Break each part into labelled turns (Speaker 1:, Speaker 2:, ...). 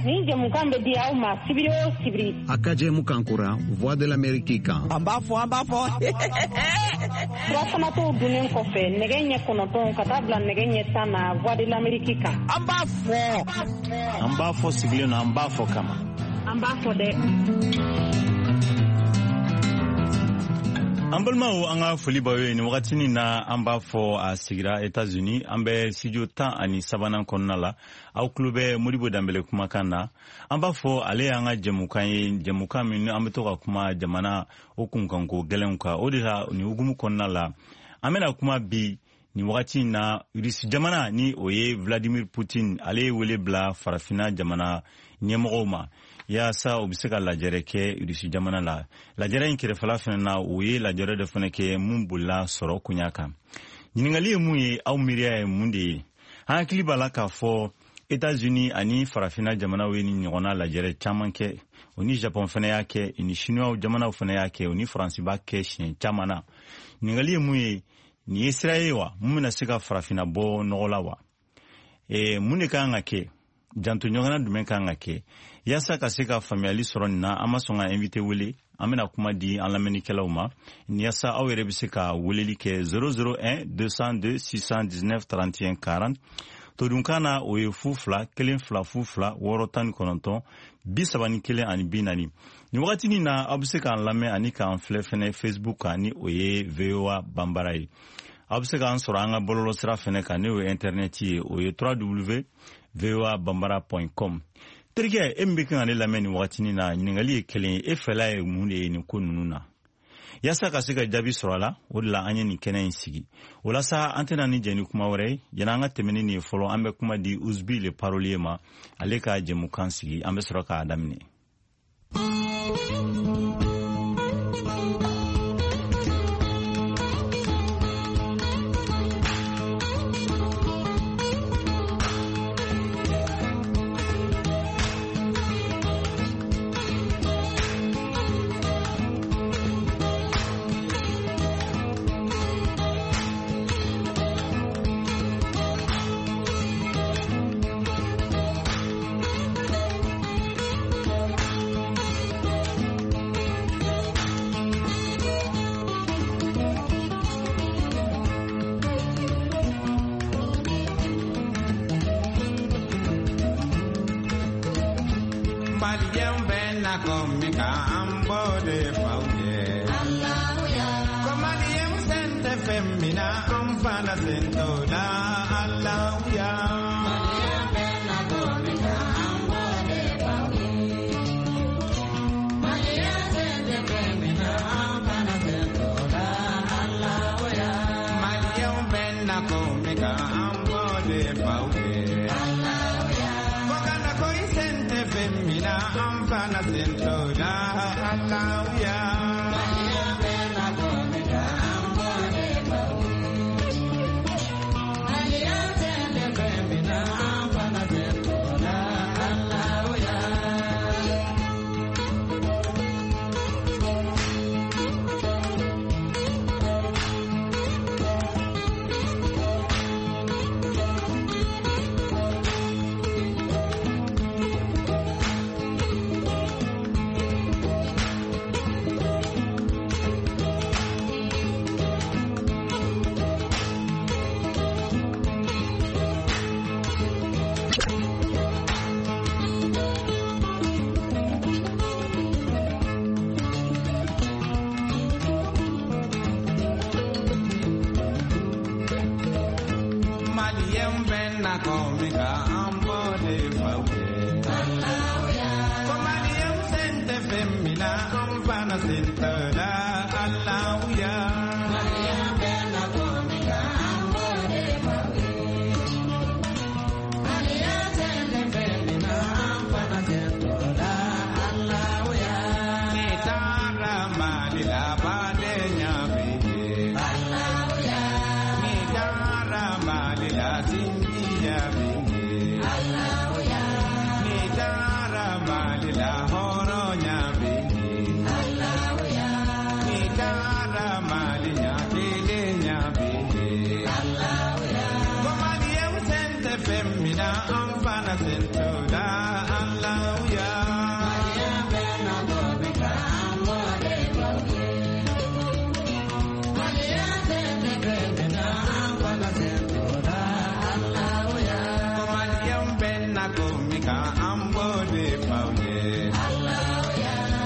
Speaker 1: Nin jɛmukan bɛ di aw ma sibiri o sibiri.
Speaker 2: A ka jɛmukan kura Voix de l'Amérique kan.
Speaker 3: An b'a fɔ, an b'a fɔ.
Speaker 1: Surafanato dunnen kɔfɛ nɛgɛ ɲɛ 9 ka taa bila nɛgɛ ɲɛ 10 na Voix de l'Amérique kan.
Speaker 3: An b'a fɔ.
Speaker 4: An b'a fɔ sigilen na, an b'a fɔ kama.
Speaker 1: An b'a fɔ dɛ.
Speaker 4: An balimaw, an ka foli b'aw ye nin wagatinin na. An b'a fɔ a sigira Etats-Unis, an bɛ studio 13nan kɔnɔna la. Aw tulo bɛ Modibo Danbele kumakan na. An b'a fɔ ale y'an ka jɛmukan ye, jɛmukan min an bɛ to ka kuma jamana o kunkanko gɛlɛnw kan. O de la, nin hukumu kɔnɔna la, an bɛna kuma bi nin wagati in na Rusi jamana, ni o ye Vladimir Putin, ale ye wele bila farafinna jamana ɲɛmɔgɔw ma yaasa u bɛ se ka lajɛrɛ kɛ Rusi jamana la. Lajɛrɛ in kɛrɛfɛla fana na, u ye lajɛrɛ dɔ fana kɛ mun bolila sɔrɔ koɲa kan. Ɲininkali ye mun ye? Aw miiriya ye mun de ye? An hakili b'a la k'a fɔ Etats-Unis ani farafinna jamanaw ye ni ɲɔgɔnna lajɛrɛ caman kɛ. O ni Japon fana y'a kɛ, ni Chinois jamanaw fana y'a kɛ, o ni Faransi b'a kɛ siɲɛ caman na. Ɲininkali ye mun ye? Nin ye sira ye wa mun bɛna se ka farafinna bɔ nɔgɔ la wa? Mun de kan ka kɛ? Janto ɲɔgɔnna jumɛn kan ka kɛ yaasa ka se ka faamuyali sɔrɔ nin na? An ma sɔn ka invité wele. An bɛna kuma di an lamɛnnikɛlaw ma yaasa aw yɛrɛ bɛ se ka weleli kɛ 001 202 619 31 40. Todunkan na, o ye 02 1 2 0 2 6 19 31 ani 40. Nin wagatinin na, aw bɛ se k'an lamɛn ani k'an filɛ fɛnɛ Facebook kan, ni o ye VOA Banbara ye. Aw bɛ se k'an sɔrɔ an ka bɔlɔlɔsira fɛnɛ kan, n'o ye internet ye, o ye 3w voabambara.com. Terikɛ, e min bɛ kan ka ne lamɛn nin wagatinin na, ɲininkali ye kelen ye: e fɛla ye mun de ye nin ko ninnu na? Yaasa ka se ka jaabi sɔrɔ a la, o de la an ye nin kɛnɛ in sigi. O la sa, an tɛna ni jɛ ni kuma wɛrɛ ye. Yanni an ka tɛmɛ ni nin ye fɔlɔ, an bɛ kuma di Usbi le parolier ma, ale ka jɛmukan sigi, an bɛ sɔrɔ k'a daminɛ.
Speaker 5: Maliyɛnw bɛ na ko min kan, an b'o de f'aw ye. Ko maliyɛnw sen tɛ fɛn min na, an fana sen t'o la. Alahuya. Maliyɛnw bɛ na ko min kan, an b'o de f'aw ye. Ko kana ko i sen tɛ fɛn min na, an fana sen t'o la. Alahuya. Maliyɛnw bɛ na ko min kan, an b'o de f'aw ye. Ko maliyɛnw sen tɛ fɛn min na, an fana sen t'o la. Alahuya. N'i taara Mali la, badenya bɛ yen. N'i taara Mali la, sinjiya bɛ yen. N'i taara Mali la, hɔrɔnya bɛ yen. N'i taara Mali la, kelenya bɛ yen. Ko maliyɛnw sen tɛ fɛn min na, an fana sen t'o la. min kan, an b'o de f'aw ye.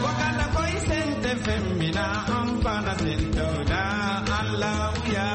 Speaker 5: Ko kana ko i sen tɛ fɛn min na, an fana sen t'o la. Alahuya.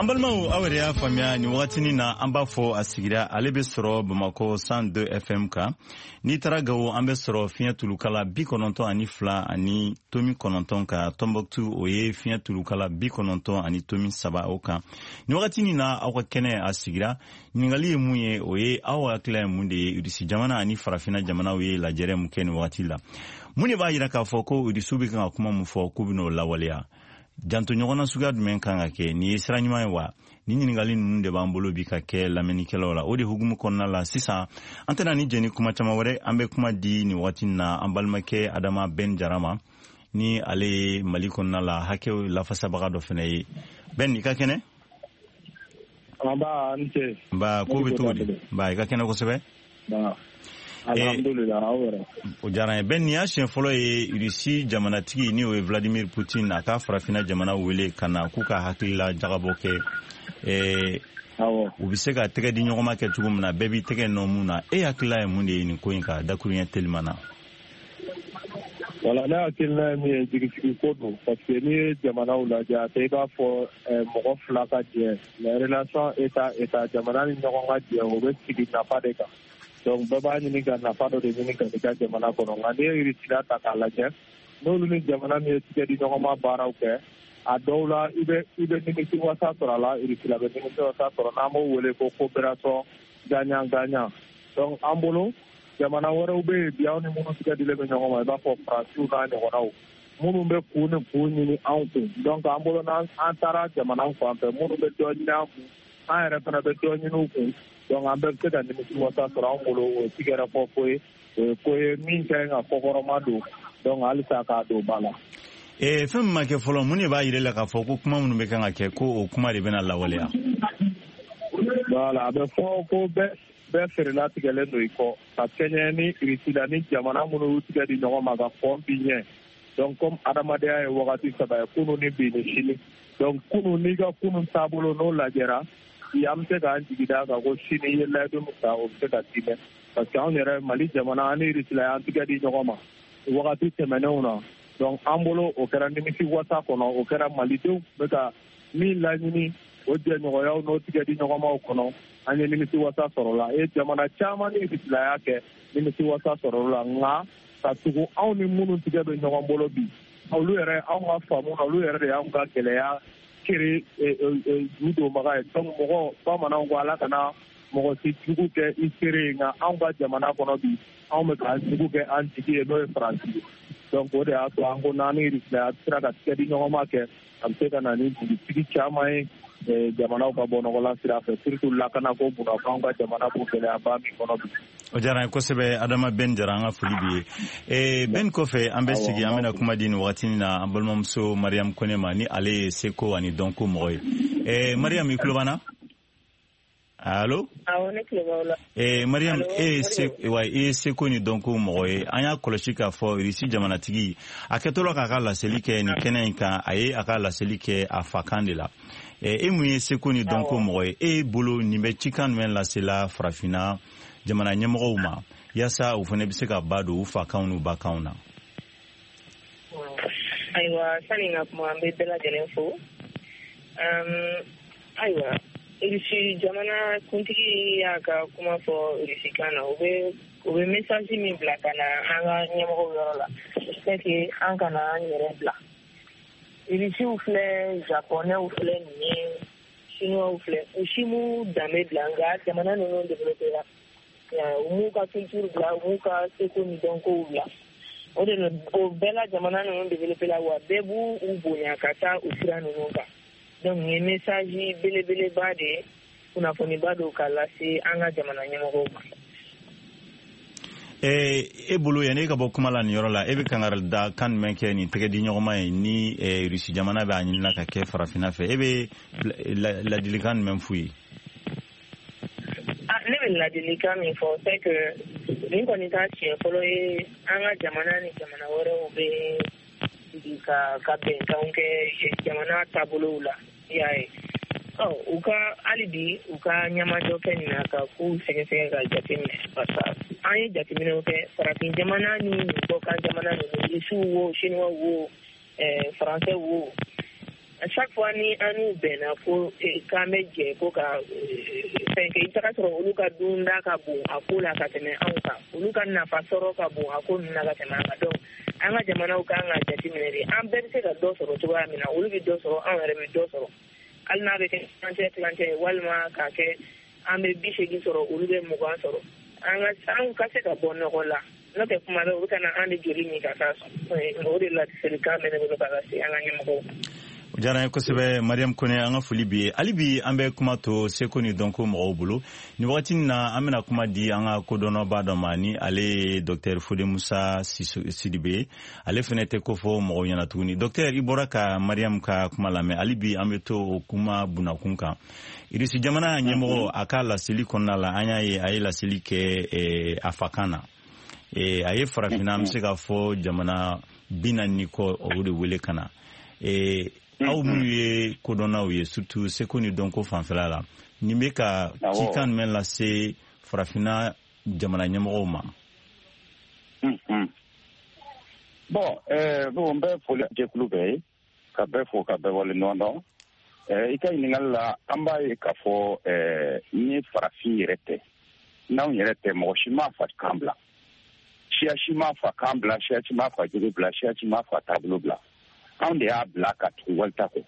Speaker 4: An balimaw, aw yɛrɛ y'a faamuya nin wagatinin na, an b'a fɔ a sigira, ale bɛ sɔrɔ Bamakɔ 102 FM kan. N'i taara Gawo, an bɛ sɔrɔ fiɲɛ tulukala 92.9 kan. Tɔnbɔkutu, o ye fiɲɛ tulukala 90.3 o kan. Nin wagatinin na, aw ka kɛnɛ a sigira. Ɲininkali ye mun ye? O ye aw hakilila ye mun de ye? Irisi jamana ani farafinna jamanaw ye lajɛrɛ mun kɛ nin wagati la? Mun de b'a yira k'a fɔ ko Irisiw bɛ kan ka kuma mun fɔ k'u bɛn'o lawaleya? Janto ɲɔgɔnna suguya jumɛn kan ka kɛ? Nin ye sira ɲuman ye wa? Ni ɲininkali ninnu de b'an bolo bi ka kɛ lamɛnnikɛlaw la. O de hukumu kɔnɔna la sisan, an tɛna ni jɛni kuma caman wɛrɛ, an bɛ kuma di nin wagati na an balimakɛ Adama Ben Jara ma, ni ale ye Mali kɔnɔna la hakɛw lafasabaga dɔ fana ye. Ben, i ka kɛnɛ?
Speaker 3: Nba, n ce.
Speaker 4: Nba, ko bɛ cogo di? Nba, i ka kɛnɛ kosɛbɛ.
Speaker 3: Alhamdulillah, aw yɛrɛ?
Speaker 4: O diyara n ye. Ben, nin y'a siɲɛ fɔlɔ ye Irisi jamanatigi, ni o ye Vladimir Poutine, a ka farafinna jamana wele ka na k'u ka hakilila jagabɔ kɛ, u bɛ se ka tɛgɛ di ɲɔgɔn ma kɛ cogo min na, bɛɛ b'i tɛgɛ nɔ mun na. E hakilila ye mun de ye nin ko in kan, dakuruɲɛ telima na?
Speaker 3: Wala, ne hakilina ye min ye, jigisigi ko don, parce que n'i ye jamanaw lajɛ, a tɛ i b'a fɔ mɔgɔ fila ka jɛ, mais relation état état, jamana ni ɲɔgɔn ka jɛ, o bɛ sigi nafa de kan. Donc bɛɛ b'a ɲini ka nafa dɔ de ɲini ka n'i ka jamana kɔnɔ. Nka n'i ye Irisila ta k'a lajɛ, n'olu ni jamana min ye tigɛ di ɲɔgɔn ma baaraw kɛ, a dɔw la i bɛ nimisi wasa sɔrɔ a la, Irisila bɛ nimisi wasa sɔrɔ, n'an b'o wele ko coopération gagnant gagnant. Donc an bolo, jamana wɛrɛw bɛ yen bi, anw ni minnu tigɛ dilen bɛ ɲɔgɔn ma, i b'a fɔ Faransiw n'a ɲɔgɔnnaw, minnu bɛ kun ni kun ɲini anw kun. Donc an bolo, n'an taara jamana fan fɛ, minnu bɛ dɔ ɲini an kun, an yɛrɛ fana bɛ dɔ ɲini u kun. Donc an bɛɛ bɛ se ka nimisi wasa sɔrɔ. An bolo, o ye tigɛrɛ fɔ ko ye, o ye ko ye min ka ɲi ka kɔkɔrɔma don. Donc halisa k'a don ba la.
Speaker 4: Fɛn min ma kɛ fɔlɔ, mun de b'a yira la k'a fɔ ko kuma minnu bɛ kan ka kɛ, ko o kuma de bɛna lawaleya?
Speaker 3: Voilà, a bɛ fɔ ko bɛɛ feerela tigɛlen don i kɔ ka kɛɲɛ ni Irisila ni jamana minnu y'u tigɛ di ɲɔgɔn ma ka kɔn bi ɲɛ. Donc comme adamadenya ye wagati saba ye, kunun ni bi ni sini. Donc kunun, n'i ka kunun taabolo n'o lajɛra bi, an bɛ se k'an jigi d'a kan ko sini i ye layidu min ta, o bɛ se ka timɛ, parce que anw yɛrɛ Mali jamana, an ni Irisila y'an tigɛ di ɲɔgɔn ma wagati tɛmɛnenw na. Donc an bolo, o kɛra nimisi wasa kɔnɔ, o kɛra malidenw bɛ ka min laɲini, o jɛɲɔgɔnyaw n'o tigɛ di ɲɔgɔnmaw kɔnɔ, an ye nimisi wasa sɔrɔ la. E jamana caman ni Irisila y'a kɛ, nimisi wasa sɔrɔ la. Nka ka tugu anw ni minnu tigɛ bɛ ɲɔgɔn bolo bi, olu yɛrɛ, anw ka faamu na, olu yɛrɛ de y'anw ka gɛlɛya kere ju donbaga ye. Donc mɔgɔ, bamananw ko ala kana mɔgɔ si jugu kɛ i seere ye, nka anw ka jamana kɔnɔ bi, anw bɛ k'an jugu kɛ an jigi ye, n'o ye Faransi ye. Donc o de y'a to an ko n'an ni Irisila sera ka tigɛ di ɲɔgɔn ma kɛ, a bɛ se ka na ni jigisigi caman ye jamanaw ka bɔ nɔgɔla sira fɛ, surtout lakanako kunna, f'anw ka jamana b'o gɛlɛyaba min kɔnɔ bi.
Speaker 4: O diyara n ye kosɛbɛ, Adama Ben Jara, an ka foli b'i ye. Ben kɔfɛ, an bɛ sigi, an bɛna kuma di nin wagati na an balimamuso Mariam Kone ma, ni ale ye seko ani dɔnko mɔgɔ ye. Mariam, i tulo b'an na? Allo?
Speaker 1: Awɔ, ne tulo b'aw la.
Speaker 4: Mariam, e ye wa, i ye seko ni dɔnko mɔgɔ ye. An y'a kɔlɔsi k'a fɔ Irisi jamanatigi a kɛtɔ la k'a ka laseli kɛ nin kɛnɛ in kan, a ye a ka laseli kɛ a fakan de la. E mun ye seko ni dɔnko mɔgɔ ye, e bolo nin bɛ cikan jumɛn lasela farafinna jamana ɲɛmɔgɔw ma, yaasa u fana bɛ se ka ba don u fakanw n'u bakanw na?
Speaker 1: Ayiwa, sani n ka kuma, an bɛ bɛɛ lajɛlen fo. Ayiwa, Irisi jamana kuntigi y'a ka kuma fɔ irisikan na, o bɛ
Speaker 6: U bɛ message min bila ka na an ka ɲɛmɔgɔw yɔrɔ la, c'est que an kana an yɛrɛ bila. Irisiw filɛ, Japonɛw filɛ nin ye, Chinois filɛ, u si m'u danbe bila, nka jamana ninnu développé la. U m'u ka culture bila, u m'u ka seko ni dɔnkow bila. O de la, o bɛɛ la, jamana ninnu développé la, wa bɛɛ b'u u bonya ka taa o sira ninnu kan. Donc nin ye message belebeleba de ye, kunnafoniba don ka lase an ka jamana ɲɛmɔgɔw ma.
Speaker 4: E bolo, yanni e ka bɔ kuma la nin yɔrɔ la, e bɛ kangari da kan jumɛn kɛ nin tɛgɛ di ɲɔgɔnma ye ni Rusi jamana bɛ a ɲinina ka kɛ farafinna fɛ? E bɛ ladilikan jumɛn f'u ye?
Speaker 6: Ne bɛ ladilikan min fɔ, c'est que nin kɔni t'a siɲɛ fɔlɔ ye an ka jamana ni jamana wɛrɛw bɛ sigi ka bɛnkanw kɛ jamana taabolow la, i y'a ye. Ɔ, u ka hali bi u ka ɲɛmajɔ kɛ nin na ka kow sɛgɛsɛgɛ ka jateminɛ, parce que an ye jateminɛw kɛ, farafin jamana ni kɔkan jamana ninnu, Rusiw wo, Chinois wo, Français wo, à chaque fois ni an n'u bɛnna ko k'an bɛ jɛ ko ka fɛn kɛ, i bɛ taga sɔrɔ olu ka dunda ka bon a ko la ka tɛmɛ anw kan, olu ka nafa sɔrɔ ka bon a ko ninnu na ka tɛmɛ an kan. Donc an ka jamanaw kan ka jateminɛ de, an bɛɛ bɛ se ka dɔ sɔrɔ cogoya min na, olu bɛ dɔ sɔrɔ, anw yɛrɛ bɛ dɔ sɔrɔ, hali n'a bɛ kɛ tilancɛ tilancɛ ye, walima k'a kɛ an bɛ 80 sɔrɔ, olu bɛ 20 sɔrɔ, an ka se ka bɔ nɔgɔ la. N'o tɛ, kuma bɛɛ u bɛ ka na an de joli min ka taa sɔn. O de laselikan bɛ ne bolo ka lase an ka ɲɛmɔgɔw ma.
Speaker 4: O diyara n ye kosɛbɛ, Mariam Kone, an ka foli b'i ye. Hali bi an bɛ kuma to seko ni dɔnko mɔgɔw bolo. Nin wagati na, an bɛna kuma di an ka kodɔnnaba dɔ ma, ni ale ye Docteur Fode Musa Sidibe. Ale fɛnɛ tɛ ko fɔ mɔgɔw ɲɛna tuguni. Docteur, i bɔra ka Mariam ka kuma lamɛn. Hali bi an bɛ to o kuma bunakun kan. Irisi jamana ɲɛmɔgɔ, a ka laseli kɔnɔna la, an y'a ye a ye laseli kɛ a fakan na. A ye farafinna, an bɛ se k'a fɔ jamana 40 ni kɔ, o de wele ka na. Aw minnu ye kodɔnnaw ye, surtout seko ni dɔnko fanfɛla la, nin bɛ ka cikan jumɛn lase farafinna jamana ɲɛmɔgɔw ma?
Speaker 7: Bon, bon, n bɛ foli jɛkulu bɛɛ ye, ka bɛɛ fo, ka bɛɛ waleɲuman dɔn. I ka ɲininkali la, an b'a ye k'a fɔ ni farafin yɛrɛ tɛ, n'anw yɛrɛ tɛ, mɔgɔ si m'a fa kan bila, siya si m'a fa kan bila, siya si m'a fa jogo bila, siya si m'a fa taabolo bila. Anw de y'a bila ka tugu walita kɔ.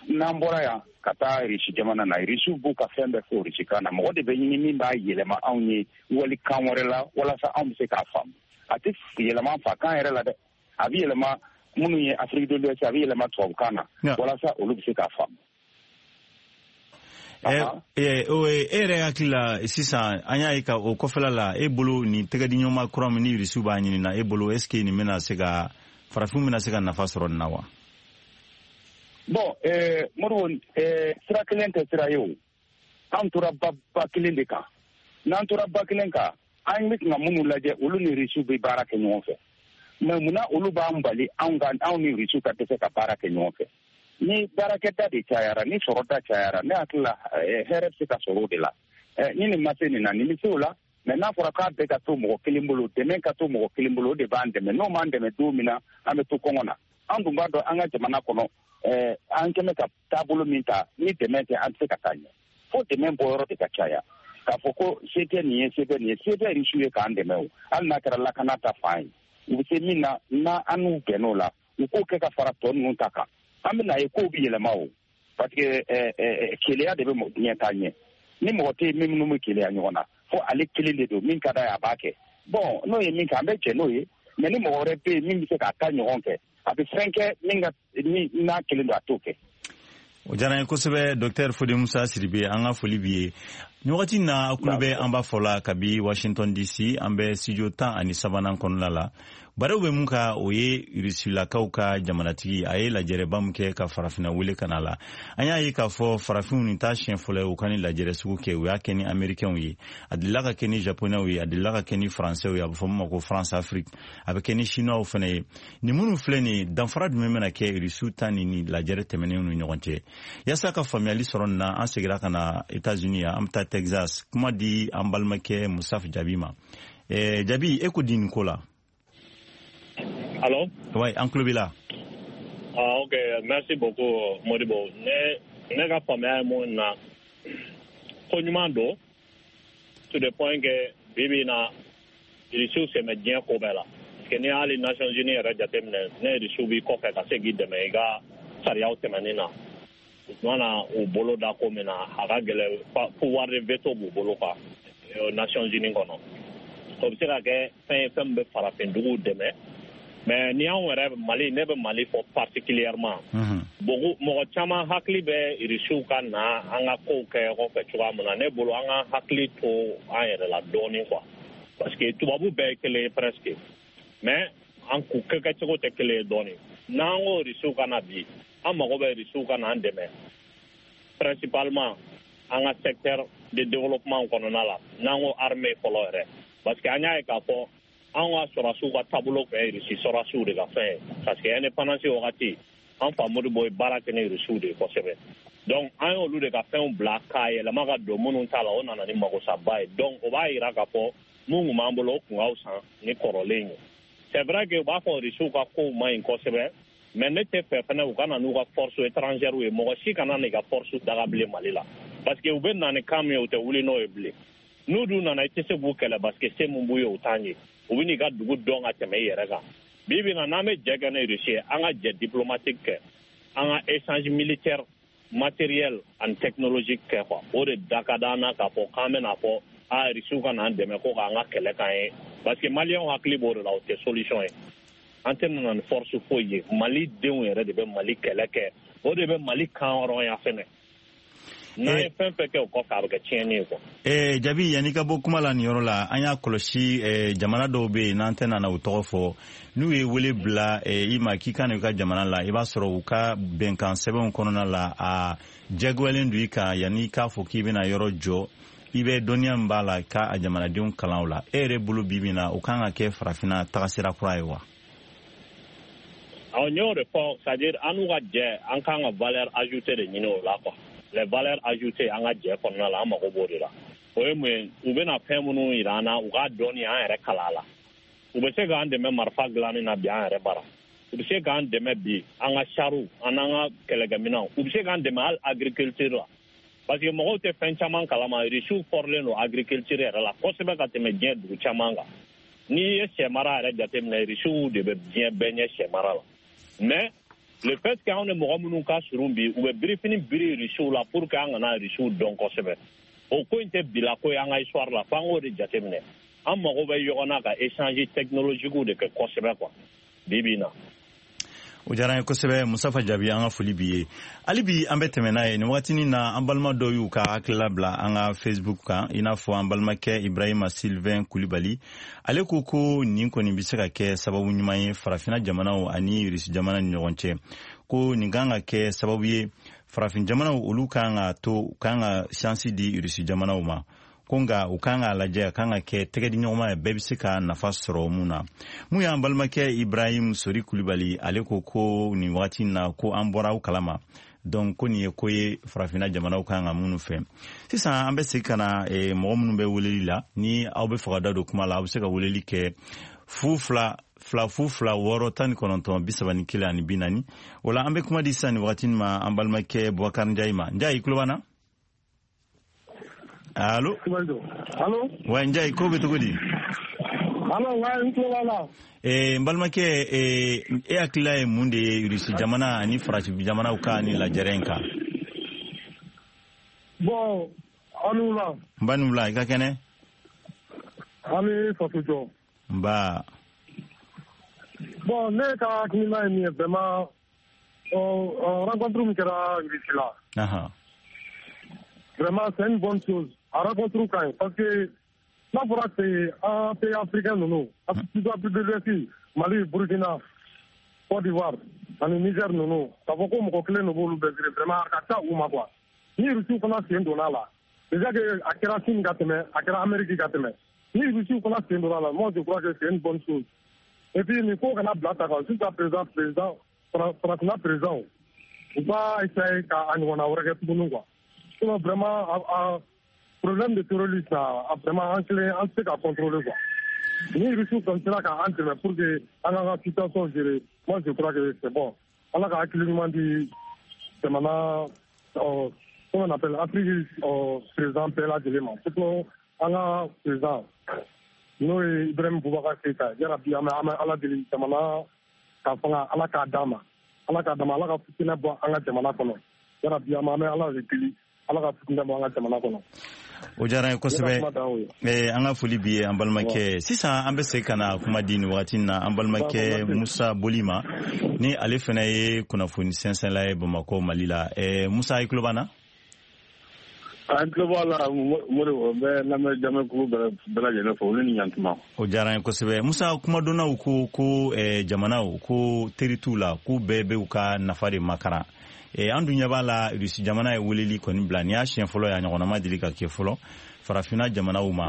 Speaker 7: N'an bɔra yan ka taa Irisi jamana na, Irisiw b'u ka fɛn bɛɛ fɔ Irisi kan na. Mɔgɔ de bɛ ɲini min b'a yɛlɛma anw ye wali kan wɛrɛ la, walasa anw bɛ se k'a faamu. A tɛ yɛlɛma an fa kan yɛrɛ la dɛ, a bɛ yɛlɛma minnu ye Afrique de l'Ouest, a bɛ yɛlɛma tubabukan na, walasa olu bɛ se k'a faamu.
Speaker 4: E yɛrɛ hakili la sisan, an y'a ye ka o kɔfɛla la, e bolo, nin tɛgɛdiɲɔgɔnma kura min ni Irisiw b'a ɲini na, e bolo, est ce que nin bɛna se ka, farafinw bɛna se ka nafa sɔrɔ nin na wa?
Speaker 7: Bon, Modibo, sira kelen tɛ sira ye o. An tora ba kelen de kan. N'an tora ba kelen kan, an bɛ ka minnu lajɛ, olu ni Irisiw bɛ baara kɛ ɲɔgɔn fɛ. Mais munna olu b'an bali, anw ka, anw ni Irisiw ka dɛsɛ ka baara kɛ ɲɔgɔn fɛ? Ni baarakɛda de cayara, ni sɔrɔda cayara, ne hakili la, hɛrɛ bɛ se ka sɔrɔ o de la. Ni nin ma se nin na, nin bɛ se o la. Mais n'a fɔra k'a bɛɛ ka to mɔgɔ kelen bolo, dɛmɛ ka to mɔgɔ kelen bolo, o de b'an dɛmɛ. N'o m'an dɛmɛ don min na, an bɛ to kɔngɔ na. An dun b'a dɔn, an ka jamana kɔnɔ, an kɛmɛ ka taabolo min ta, ni dɛmɛ tɛ, an tɛ se ka taa ɲɛ. Fo dɛmɛ bɔyɔrɔ de ka caya. K'a fɔ ko se tɛ nin ye, se tɛ nin ye, se tɛ Irisiw ye k'an dɛmɛ o, hali n'a kɛra lakana ta fan ye, u bɛ se min na, n'a an n'u bɛnn'o la, u k'o kɛ ka fara tɔ ninnu ta kan, an bɛ n'a ye kow bɛ yɛlɛma o. Parce que keleya de bɛ diɲɛ taa ɲɛ. Ni mɔgɔ tɛ yen min minnu bɛ keleya ɲɔgɔn na, fo ale kelen de don, min ka d'a ye, a b'a kɛ. Bon, n'o ye min kɛ, an bɛ jɛ n'o ye. Mais ni mɔgɔ wɛrɛ bɛ yen min bɛ se k'a ta ɲɔgɔn kɛ, a bɛ fɛn kɛ min ka ni n'a kelen don, a t'o kɛ.
Speaker 4: O diyara n ye kosɛbɛ, Docteur Fode Musa Sidibe, an ka foli b'i ye. Nin wagati na, aw tulo bɛ an b'a fɔ la kabi Washington DC, an bɛ studio 13nan kɔnɔna la. Barow bɛ mun ka, o ye Rusilakaw ka jamanatigi, a ye lajɛrɛba min kɛ ka farafinna wele ka na la. An y'a ye k'a fɔ farafinw, nin t'a siɲɛ fɔlɔ ye u ka ni lajɛrɛ sugu kɛ. U y'a kɛ ni Américains ye, a delila ka kɛ ni Japonais ye, a delila ka kɛ ni Français ye, a bɛ fɔ min ma ko France Afrique, a bɛ kɛ ni Chinois fana ye. Nin minnu filɛ nin ye, danfara jumɛn bɛna kɛ Rusiw ta ni lajɛrɛ tɛmɛnenw ni ɲɔgɔn cɛ? Yaasa ka faamuyali sɔrɔ nin na, an seginna ka na États-Unis yan, an bɛ taa Texas, kuma di an balimakɛ Musaf Jabi ma. Jabi, e ko di nin ko la?
Speaker 3: Allô?
Speaker 4: Ouais, an tulo b'i la.
Speaker 3: Ah, ok, merci beaucoup, Modibo. Ne ka faamuya ye mun na, ko ɲuman don, to the point que bi bi in na
Speaker 8: Irisiw sen bɛ diɲɛ ko bɛɛ la, parce que n'i y'hali Nations Unies yɛrɛ jateminɛ, ne Irisiw b'i kɔfɛ ka se k'i dɛmɛ i ka sariyaw tɛmɛni na. U mana u bolo da ko min na, a ka gɛlɛn, pouvoir de veto b'u bolo quoi, Nations Unies kɔnɔ. O bɛ se ka kɛ fɛn ye, fɛn min bɛ farafin duguw dɛmɛ. Mais ni anw yɛrɛ Mali, ne bɛ Mali fɔ particulièrement, beaucoup mɔgɔ caman hakili bɛ Irisiw ka na an ka kow kɛ ɲɔgɔn fɛ cogoya min na. Ne bolo, an ka hakili to an yɛrɛ la dɔɔnin quoi, parce que tubabu bɛɛ ye kelen ye presque, mais an k'u kɛcogo tɛ kelen ye dɔɔnin. N'an ko Irisiw ka na bi, an mago bɛ Irisiw ka na an dɛmɛ principalement an ka secteur de développement kɔnɔna la, n'an ko armée fɔlɔ yɛrɛ, parce que an y'a ye k'a fɔ an ka sɔrɔdasiw ka taabolo tun ye Irisi sɔrɔdasiw de ka fɛn ye, parce que indépendance wagati, an fa Modibo ye baara kɛ ni Irisiw de ye kosɛbɛ. Donc an y'olu de ka fɛnw bila k'a yɛlɛma ka don minnu ta la, o nana ni magosaba ye. Donc o b'a yira k'a fɔ mun tun b'an bolo, o tun ka fisa ni kɔrɔlen ye. C'est vrai que u b'a fɔ Irisiw ka kow man ɲi kosɛbɛ, mais ne tɛ fɛ fɛnɛ u ka na n'u ka force étrangère ye. Mɔgɔ si kana n'i ka force daga bilen Mali la, parce que u bɛ na ni kan min ye, u tɛ wuli n'o ye bilen. N'u dun nana, i tɛ se k'u kɛlɛ, parce que se mun b'u ye, u t'an ye. U bɛ n'i ka dugu dɔn ka tɛmɛ i yɛrɛ kan. Bi bi in na, n'an bɛ jɛ kɛ ni Russie ye, an ka jɛ diplomatique kɛ, an ka échange militaire, matériel ani technologique kɛ quoi. O de da ka d'an na k'a fɔ k'an bɛna fɔ a Russiw ka n'an dɛmɛ ko k'an ka kɛlɛ k'an ye, parce que Maliyɛnw hakili b'o de la. O tɛ solution ye. An tɛ nana ni force foyi ye. Mali denw yɛrɛ de bɛ Mali kɛlɛ kɛ, o de bɛ Mali kan hɔrɔnya fɛnɛ. N'an ye fɛn fɛn kɛ o kɔfɛ, a bɛ kɛ tiɲɛni ye quoi.
Speaker 4: Jabi, yanni ka bɔ kuma la nin yɔrɔ la, an y'a kɔlɔsi, jamana dɔw bɛ yen, n'an tɛna na u tɔgɔ fɔ, n'u ye wele bila i ma k'i ka na i ka jamana la, i b'a sɔrɔ u ka bɛnkan sɛbɛnw kɔnɔna la, a jagoyalen don i kan, yanni i k'a fɔ k'i bɛna yɔrɔ jɔ, i bɛ dɔnniya min b'a la k'a jamanadenw kalan o la. E yɛrɛ bolo, bi bi na, o kan ka kɛ farafinna tagasira kura ye wa?
Speaker 8: Awɔ, n y'o de fɔ, c'est à dire an n'u ka jɛ, an kan ka valeur ajoutée de ɲini o la quoi. Les valeurs ajoutées an ka jɛ kɔnɔna la, an mago b'o de la. O ye mun ye? U bɛna fɛn minnu yira an na, u k'a dɔɔni an yɛrɛ kalan a la. U bɛ se k'an dɛmɛ marifa dilanni na bi an yɛrɛ bara, u bɛ se k'an dɛmɛ bi an ka chariw an n'an ka kɛlɛkɛminɛnw, u bɛ se k'an dɛmɛ hali agriculture la, parce que mɔgɔw tɛ fɛn caman kalama, Rusiw fɔrilen don agriculture yɛrɛ la kosɛbɛ ka tɛmɛ diɲɛ dugu caman kan. N'i ye sɛ mara yɛrɛ jateminɛ, Rusiw de bɛ diɲɛ bɛɛ ɲɛ sɛ mara la. Mais le fait que anw ni mɔgɔ minnu ka surun bi, u bɛ birifini biri Rusiw la pour que an kana Rusiw dɔn kosɛbɛ. O ko in tɛ bila ko ye an ka histoire la, f'an k'o de jateminɛ. An mago bɛ ɲɔgɔn na ka échange technologique de kɛ kosɛbɛ quoi, bi bi in na.
Speaker 4: O diyara an ye kosɛbɛ, Musafa Jaabi, an ka foli b'i ye. Hali bi an bɛ tɛmɛ n'a ye nin wagatinin na. An balima dɔw y'u ka hakilila bila an ka Facebook kan, i n'a fɔ an balimakɛ Ibrahima Sylvain Kulibali. Ale ko ko nin kɔni bɛ se ka kɛ sababu ɲuman ye farafina jamanaw ani Rusi jamana ni ɲɔgɔn cɛ, ko nin kan ka kɛ sababu ye farafin jamanaw olu kan ka to kan ka chance di Rusi jamanaw ma, ko nka u kan k'a lajɛ, a kan ka kɛ tɛgɛdiɲɔgɔnma ye, bɛɛ bɛ se ka nafa sɔrɔ mun na. Mun y'an balimakɛ Ibrahim Sori Kulibali, ale ko ko nin wagati na, ko an bɔra aw kalama, donc ko nin ye ko ye farafinna jamanaw kan ka minnu fɛ. Sisan an bɛ segin ka na mɔgɔ minnu bɛ weleli la. Ni aw bɛ fɛ ka da don kuma la, aw bɛ se ka weleli kɛ 020 0 06 19 31 40. O la, an bɛ kuma di sisan nin wagati ma an balimakɛ Bubakari Njayi ma. Njayi, i tulo b'an na? Allo?
Speaker 3: Allo?
Speaker 4: Wa, Njayi, ko bɛ cogo di?
Speaker 3: Allo, wa, n tulo b'a la.
Speaker 4: N balimakɛ, e hakilila ye mun de ye Rusi jamana ani farafin jamanaw ka ni lajɛrɛ in kan?
Speaker 3: Bon, aw ni wula.
Speaker 4: N ba ni wula, i ka kɛnɛ?
Speaker 3: An ni faso jɔ.
Speaker 4: Nba.
Speaker 3: Bon, ne ka hakilina ye min ye vraiment, rencontre min kɛra Russie la. Vraiment, c'est une bonne chose. A rencontre ka ɲi parce que n'a fɔra ten, an pays africain ninnu, surtout Afrique de l'Ouest, Mali, Burkina, Côte d'Ivoire ani Niger ninnu, k'a fɔ ko mɔgɔ kelen de b'olu bɛɛ gérer, vraiment a ka ca u ma quoi. Ni Russiw fana sen donna a la, déjà que a kɛra Chine ka tɛmɛ, a kɛra Amérique ka tɛmɛ, ni Russiw fana sen donna a la, moi je crois que c'est une bonne chose. Et puis nin ko kana bila ta kan jusqu'à présent, président farafinna président, u b'a essayer ka a ɲɔgɔnna wɛrɛ kɛ tuguni quoi. Sinon vraiment, a problème de terrorisme, a vraiment an kelen an tɛ se ka contrôler quoi. Ni Russiw kɔni sera ka an dɛmɛ pour que an k'an ka situation gérer, moi je crois que c'est bon. Ala ka hakili ɲuman di jamana, comment on appelle, Afrique président bɛɛ lajɛlen ma, surtout an ka président. N'o ye Ibrahim Boubacar Keita, yarabi an bɛ Ala deli jamana ka fanga Ala k'a d'a ma. Ala k'a d'a ma, Ala ka fitinɛ bɔ an ka jamana kɔnɔ. Yarabi an bɛ Ala de deli, Ala ka fitinɛ bɔ an ka jamana kɔnɔ.
Speaker 4: O diyara n ye kosɛbɛ. An ka foli b'i ye an balimakɛ. Sisan an bɛ segin ka na kuma di nin wagati in na an balimakɛ Musa Boli ma, ni ale fana ye kunnafoni sɛnsɛnla ye Bamakɔ, Mali la. Musa, i tulo b'an na?
Speaker 9: An tulo b'a la, Modibo. N bɛ lamɛn jamɛkulu bɛɛ lajɛlen fo, olu ni ɲantuma.
Speaker 4: O diyara n ye kosɛbɛ. Musa, kumadonnaw ko jamanaw ko teri t'u la, k'u bɛɛ bɛ u ka nafa de makaran. An dun ɲɛ b'a la, Rusi jamana ye weleli kɔni bila, nin y'a siɲɛ fɔlɔ ye, a ɲɔgɔnna ma deli ka kɛ fɔlɔ farafinna jamanaw ma.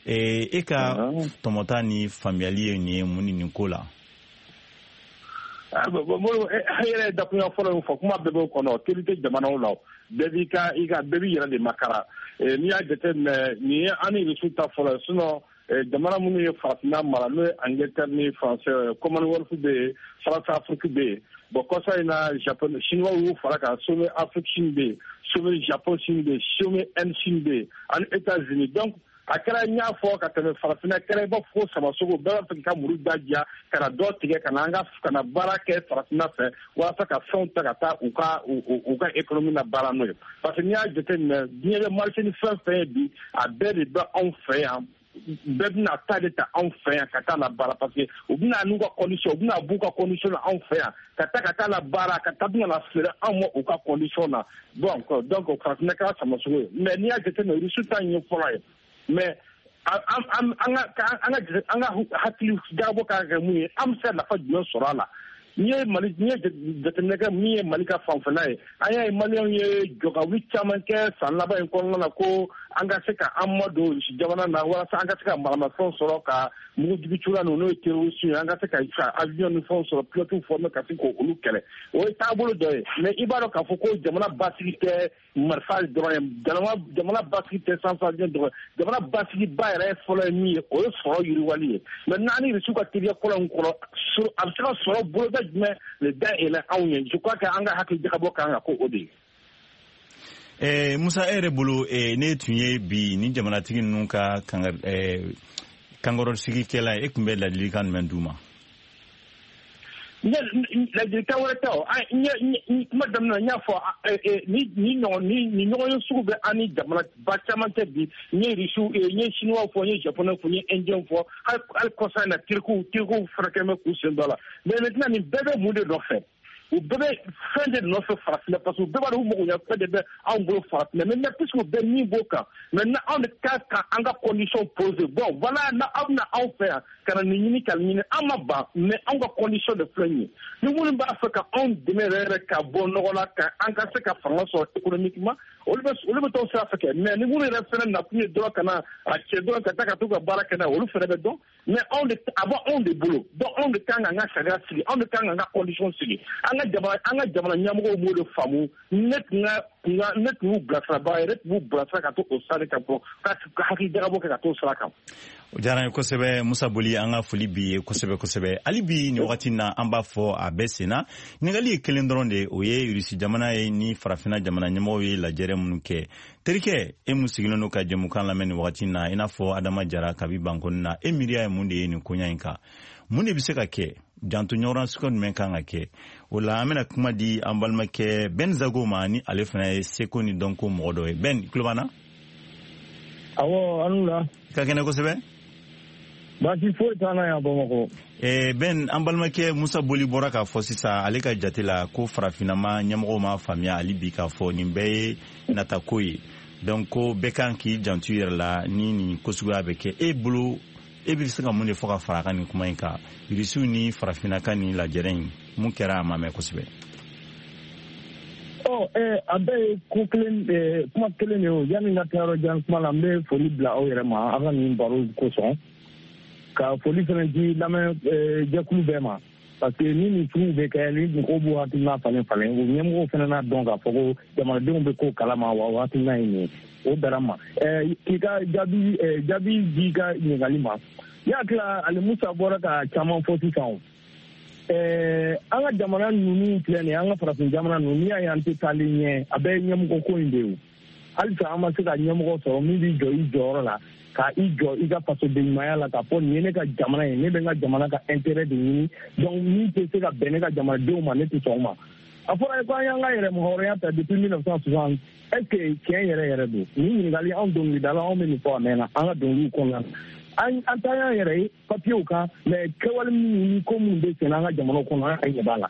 Speaker 4: E ka tɔmɔta ni faamuyali ye nin ye mun ni nin ko la?
Speaker 9: E yɛrɛ ye dakunya fɔlɔ in fɔ, kuma bɛɛ b'o kɔnɔ. Teri tɛ jamanaw la, bɛɛ b'i ka i ka bɛɛ b'i yɛrɛ de makara. N'i y'a jateminɛ, nin ye an ni Rusiw ta fɔlɔ ye. Sinon jamana minnu ye farafinna mara, n'o ye Angleterre ni France, Commonwealth bɛ yen, France Afrique bɛ yen. Bon, kɔsa in na, Japon, Chinois y'u fara kan, sommet Afrique Chine bɛ yen, sommet Japon Chine bɛ yen, sommet Inde Chine bɛ yen, ani États-Unis. Donc a kɛra, n y'a fɔ ka tɛmɛ, farafinna kɛra i b'a fɔ ko samasogo, bɛɛ b'a fɛ k'i ka muru da diya ka na dɔ tigɛ ka na an ka ka na baara kɛ farafinna fɛ, walasa ka fɛnw ta ka taa u ka économie na baara n'o ye. Parce que n'i y'a jateminɛ, diɲɛ bɛ marché ni fɛn fɛn ye bi, a bɛɛ de bɛ anw fɛ yan. Bɛɛ bɛna ta de ta anw fɛ yan ka taa la baara, parce que u bɛna n'u ka condition, u bɛna b'u ka condition na anw fɛ yan ka taa la baara, ka taa bɛna na feere anw ma u ka condition na. Donc farafinna kɛra samasogo ye. Mais n'i y'a jateminɛ, Rusi ta in ye fɔlɔ ye. Mais an ka hakili jagabɔ kan ka kɛ mun ye? An bɛ se ka nafa jumɛn sɔrɔ a la? N'i ye Mali, n'i ye jateminɛ kɛ, min ye Mali ka fanfɛla ye, an y'a ye Maliyɛnw ye jɔkawuli caman kɛ san laban in kɔnɔna na ko an ka se ka an madon Rusi jamana na, walasa an ka se ka maramafɛnw sɔrɔ, ka mugujugu cogoya ninnu, n'o ye terroriste ye, an ka se ka avion ni fɛnw sɔrɔ, pilotes former ka se k'olu kɛlɛ. O ye taabolo dɔ ye. Mais i b'a dɔn k'a fɔ ko jamana basigi tɛ marifa dɔrɔn ye, jamana basigi tɛ sanfɛ avion dɔrɔn ye. Jamana basigi ba yɛrɛ fɔlɔ ye min ye, o ye sɔrɔ yiriwali ye. Maintenant, an ni Rusiw ka teriya kɔlɔn in kɔnɔ, a bɛ se ka sɔrɔ boloda jumɛn de dayɛlɛ anw ye? Je crois que an ka hakili jagabɔ kan ka ko o de ye.
Speaker 4: Musa, e yɛrɛ bolo, ne tun ye bi ni jamanatigi ninnu ka kankɔrɔsigikɛla ye, e tun bɛ ladilikan jumɛn d'u ma?
Speaker 9: Ladilikan wɛrɛ tɛ o. Kuma daminɛ, n y'a fɔ, ni ɲɔgɔn ye sugu bɛ an ni jamana ba caman tɛ bi. N ye Rusiw, n ye Chinois fɔ, n ye Japonais fɔ, n ye Indien fɔ, hali kɔsa in na Tirikiw fana kɛlen bɛ k'u sen dɔ la. Mais maintenant, nin bɛɛ bɛ mun de nɔfɛ? U bɛɛ bɛ fɛn de nɔfɛ farafinna, parce que u bɛɛ b'a dɔn u mago ɲɛ fɛn de bɛ anw bolo farafinna. Maintenant, puisque u bɛɛ min b'o kan, maintenant anw de ka kan an ka condition poser. Bon voilà, na aw bɛna anw fɛ yan ka na nin ɲini ka nin ɲini, an ma ban, mais anw ka condition de filɛ nin ye. Ni minnu b'a fɛ ka anw dɛmɛ yɛrɛ yɛrɛ ka bɔ nɔgɔ la, ka an ka se ka fanga sɔrɔ économiquement, olu bɛ t'o sira fɛ kɛ. Mais ni minnu yɛrɛ fɛnɛ nakun ye dɔrɔn ka na a cɛ dɔrɔn ka taa ka t'u ka baara kɛ n'a ye, olu fɛnɛ bɛ dɔn. Mais anw de, a bɔ anw de bolo. Donc anw de kan k'an ka sariya sigi, anw de kan k'an ka condition sigi. An ka jamana ɲɛmɔgɔw m'o de faamu. Ne tun y'u bilasirabaga ye, ne tun b'u bilasira ka to o sira de kan, fɔ ka hakili jagabɔ kɛ ka t'o sira kan.
Speaker 4: O diyara n ye kosɛbɛ, Musa Boli. An ka foli b'i ye kosɛbɛ kosɛbɛ. Hali bi nin wagati na, an b'a fɔ a bɛɛ senna. Ɲininkali ye kelen dɔrɔn de, o ye Rusi jamana ye ni farafinna jamana ɲɛmɔgɔw ye lajɛrɛ minnu kɛ. Terikɛ, e mun sigilen don ka jɛmukan lamɛn nin wagati na, i n'a fɔ Adama Jara kabi Bankɔni na, e miiriya ye mun de ye nin koɲa in kan? Mun de bɛ se ka kɛ? Janto ɲɔgɔn sugu jumɛn kan ka kɛ o la? An bɛna kuma di an balimakɛ Ben Zago ma, ni ale fana ye seko ni dɔnko mɔgɔ dɔ ye. Ben, tulo b'an na?
Speaker 10: Awɔ, an la.
Speaker 4: Ka kɛnɛ kosɛbɛ.
Speaker 10: Baasi foyi t'an na yan Bamakɔ.
Speaker 4: Ben, an balimakɛ Musa Boli bɔra k'a fɔ sisan, ale ka jate la, ko farafinna ɲɛmɔgɔw ma faamuya hali bi k'a fɔ nin bɛɛ ye natako ye. Donc ko bɛɛ kan k'i janto i yɛrɛ la ni nin ko suguya bɛ kɛ. E bolo, e bɛ se ka mun de fɔ ka fara a kan nin kuma in kan, Irisiw ni farafinna ka nin lajɛrɛ in mun kɛra, a ma mɛn kosɛbɛ?
Speaker 10: Ɔ a bɛɛ ye ko kelen, kuma kelen de ye o. Yanni n ka taa yɔrɔ jan kuma la, n bɛ foli bila aw yɛrɛ ma aw ka nin baro kosɔn, ka foli fana di lamɛn jɛkulu bɛɛ ma, parce que ni nin suguw bɛ kɛ, ni mɔgɔw b'u hakilina falen falen, u ɲɛmɔgɔw fana n'a dɔn k'a fɔ ko jamanadenw bɛ ko kalama wa, o hakilina ye nin ye, o bɛnna ma. K'i ka jaabi di i ka ɲininkali ma, ne hakili la, ale Musa bɔra ka caman fɔ sisan o. An ka jamana ninnu filɛ nin ye, an ka farafin jamana ninnu, n'i y'a ye an tɛ taalen ɲɛ, a bɛɛ ye ɲɛmɔgɔ ko in de ye o. Halisa an ma se ka ɲɛmɔgɔ sɔrɔ min b'i jɔ i jɔyɔrɔ la, ka i jɔ i ka fasodenɲumanya la, k'a fɔ nin ye ne ka jamana ye, ne bɛ n ka jamana ka intérêt de ɲini, donc min tɛ se ka bɛn ne ka jamanadenw ma, ne tɛ sɔn o ma. A fɔra ko an y'an ka yɛrɛmahɔrɔnya ta depuis 1960, est ce que tiɲɛ yɛrɛ yɛrɛ don? Nin ɲininkali, anw dɔnkilidala, anw bɛ nin fɔ a mɛnna an ka dɔnkiliw kɔnɔna na. An ta y'an yɛrɛ ye papiyew kan, mais kɛwale minnu ni ko minnu bɛ senna an ka jamanaw kɔnɔ, an yɛrɛ ɲɛ b'a la.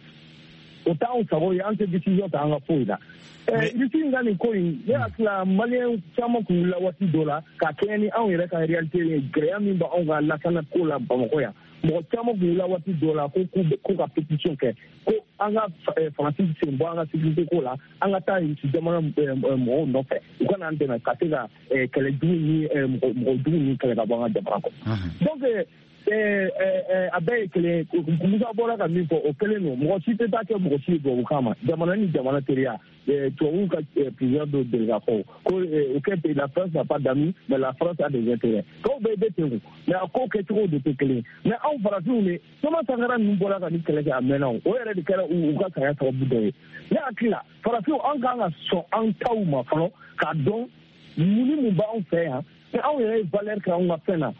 Speaker 10: O t'anw sago ye, an tɛ décision ta an ka foyi la. Russie in ka nin ko in, ne hakili la, Maliyɛn caman kun wulila waati dɔ la ka kɛɲɛ ni anw yɛrɛ ka réalité ye, gɛlɛya min b'anw ka lakana ko la Bamakɔ yan. Mɔgɔ caman kun wulila waati dɔ la ko ka pétition kɛ ko an ka Faransi sen bɔ an ka sécurité ko la, an ka taa Russie jamana mɔgɔw nɔfɛ, u ka n'an dɛmɛ ka se ka kɛlɛ jugu ni mɔgɔ jugu ni kɛlɛ ka bɔ an ka jamana kɔnɔ. Donc a bɛɛ ye kelen. Musa bɔra ka min fɔ, o kelen don. Mɔgɔ si tɛ taa kɛ mɔgɔ si ye tubabukan ma. Jamana ni jamana teriya, tubabuw ka président dɔ deli k'a fɔ ko aucun pays, la France n'a pas d'amis, mais la France a des intérêts. Tɔw bɛɛ bɛ ten, mais a ko kɛcogo de tɛ kelen. Mais anw farafinw de, Thomas Sankara ninnu bɔra ka nin kɛlɛ kɛ a mɛnna, o yɛrɛ de kɛra u ka saya sababu dɔ ye. Ne hakili la, farafinw, an kan ka sɔn an taw ma fɔlɔ, k'a dɔn mun ni mun b'anw fɛ yan, ni anw yɛrɛ ye valeur kɛ anw ka fɛn na.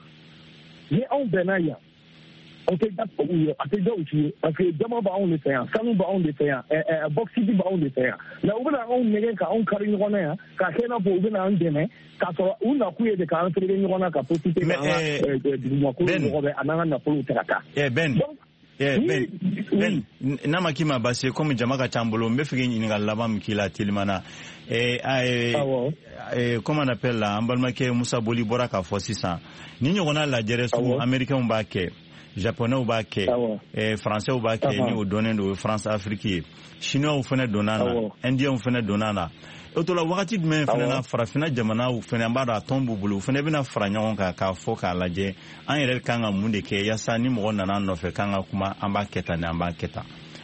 Speaker 10: Ni anw bɛnna yan, o tɛ da tubabuw ye, a tɛ da u si ye, parce que jama b'anw de fɛ yan, sanu b'anw de fɛ yan, bauxite b'anw de fɛ yan. Mais u bɛna anw nɛgɛ ka anw kari ɲɔgɔn na yan, k'a kɛ i n'a fɔ u bɛna an dɛmɛ, k'a sɔrɔ u nakun ye de k'an fereke ɲɔgɔn na, ka profiter k'an ka dugumakolo mɔgɔ bɛ a n'an ka nafolow ta ka taa.
Speaker 4: Ben, Ben, n'a ma k'i ma baasi ye, komi jama ka ca n bolo, n bɛ fɛ k'i ɲininkali laban min k'i la teliman na. Comment on appelle la, an balimakɛ Musa Boli bɔra k'a fɔ sisan, ni ɲɔgɔnna lajɛrɛ sugu, Américains b'a kɛ, Japonais b'a kɛ, Français b'a kɛ, ni o dɔnnen don, o ye France Afrique ye. Chinois fana donna na, Indiens fana donna na. O to la, wagati jumɛn fana na farafinna jamanaw fana, an b'a dɔn a tɔn b'u bolo, u fana bɛna fara ɲɔgɔn kan k'a fɔ k'a lajɛ an yɛrɛ kan ka mun de kɛ yaasa ni mɔgɔ nana an nɔfɛ k'an ka kuma, an b'a kɛ tan ni an b'a kɛ tan?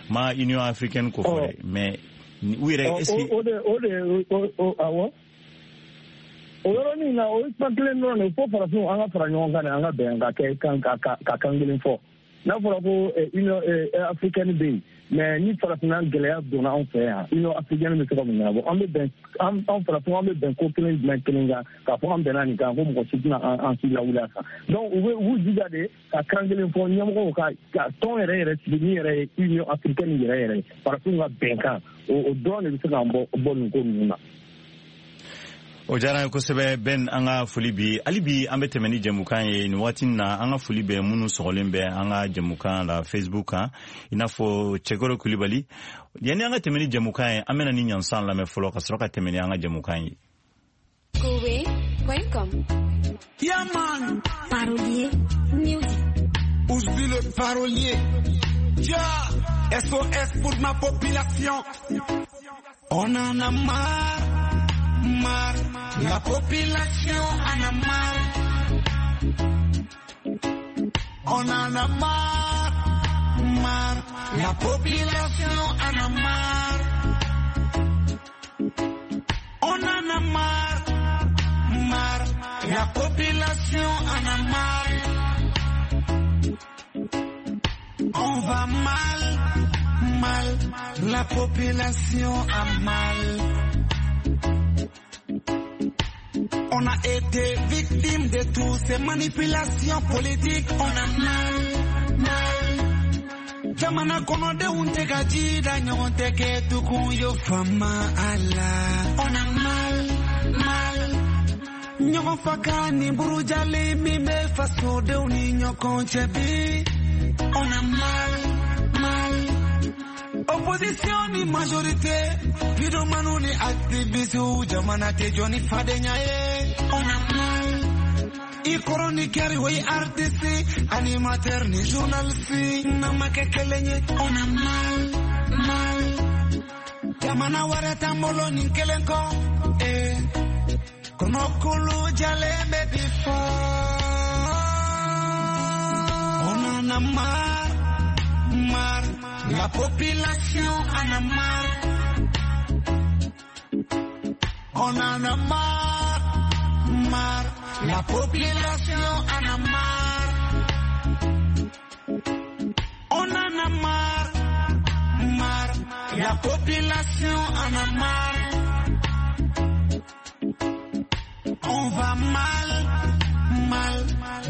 Speaker 4: Ma Union africaine ko fɔ dɛ, mais u yɛrɛ, est ce que
Speaker 10: O de o de o, awɔ, o yɔrɔnin na, o ye kuma kelen dɔrɔn de fo farafinw an ka fara ɲɔgɔn kan de, an ka bɛn ka kɛ kan ka kan kelen fɔ. N'a fɔra ko Union africaine bɛ yen, mais ni farafinna gɛlɛya donna anw fɛ yan, Union africaine bɛ se ka mun ɲɛnabɔ? An bɛ bɛn, an farafinw, an bɛ bɛn ko kelen jumɛn kelen kan k'a fɔ an bɛnna nin kan, ko mɔgɔ si tɛna an si lawuli a kan? Donc u bɛ u b'u jija de ka kan kelen fɔ, ɲɛmɔgɔw ka tɔn yɛrɛ yɛrɛ sigi min yɛrɛ ye Union africaine yɛrɛ yɛrɛ ye, farafinw ka bɛnkan, o dɔrɔn de bɛ se k'an bɔ nin ko ninnu na.
Speaker 4: O diyara an ye kosɛbɛ, Ben. An ka foli bi hali bi. An bɛ tɛmɛ ni jɛmukan ye nin waati na. An ka foli bɛ minnu sɔgɔlen bɛ an ka jɛmukan la Facebook kan, i n'a fɔ Cɛkɔrɔ Kulibali. Yanni an ka tɛmɛ ni jɛmukan ye, an bɛna ni ɲansan lamɛn fɔlɔ, ka sɔrɔ ka tɛmɛ ni an ka jɛmukan ye.
Speaker 11: Kowe.com.
Speaker 5: Yeah, man.
Speaker 11: Parolier Music.
Speaker 5: Ousbi le parolier. Yeah. SOS pour ma population. On en a marre, marre. La population en a marre. On en a marre, marre. La population en a marre. On en a marre, marre. La population en a marre. On va mal, mal. La population a mal. On a été victime de toutes ces manipulations politiques. On a mal, mal. Jamana kɔnɔdenw tɛ ka ji da ɲɔgɔn tɛ kɛ tugun yo fama a la. On a mal, mal. Ɲɔgɔn faga ni burujali min bɛ fasodenw ni ɲɔgɔn cɛ bi. On a mal, mal. Opposition ni majorité, vidéomanu ni activiste, jamana tɛ jɔ ni fadenya ye. On a mal. I chroniqueur o ye artiste, animateur ni journaliste, n'an ma kɛ kelen ye. On a mal, mal. Jamana wɛrɛ t'an bolo nin kelen kɔ. Eh. Kɔnɔkulu jalen bɛ bi fɔ. On en a marre, marre. La population en a marre. On en a marre, marre. La population en a marre. On en a marre, marre. La population en a marre. On va mal, mal,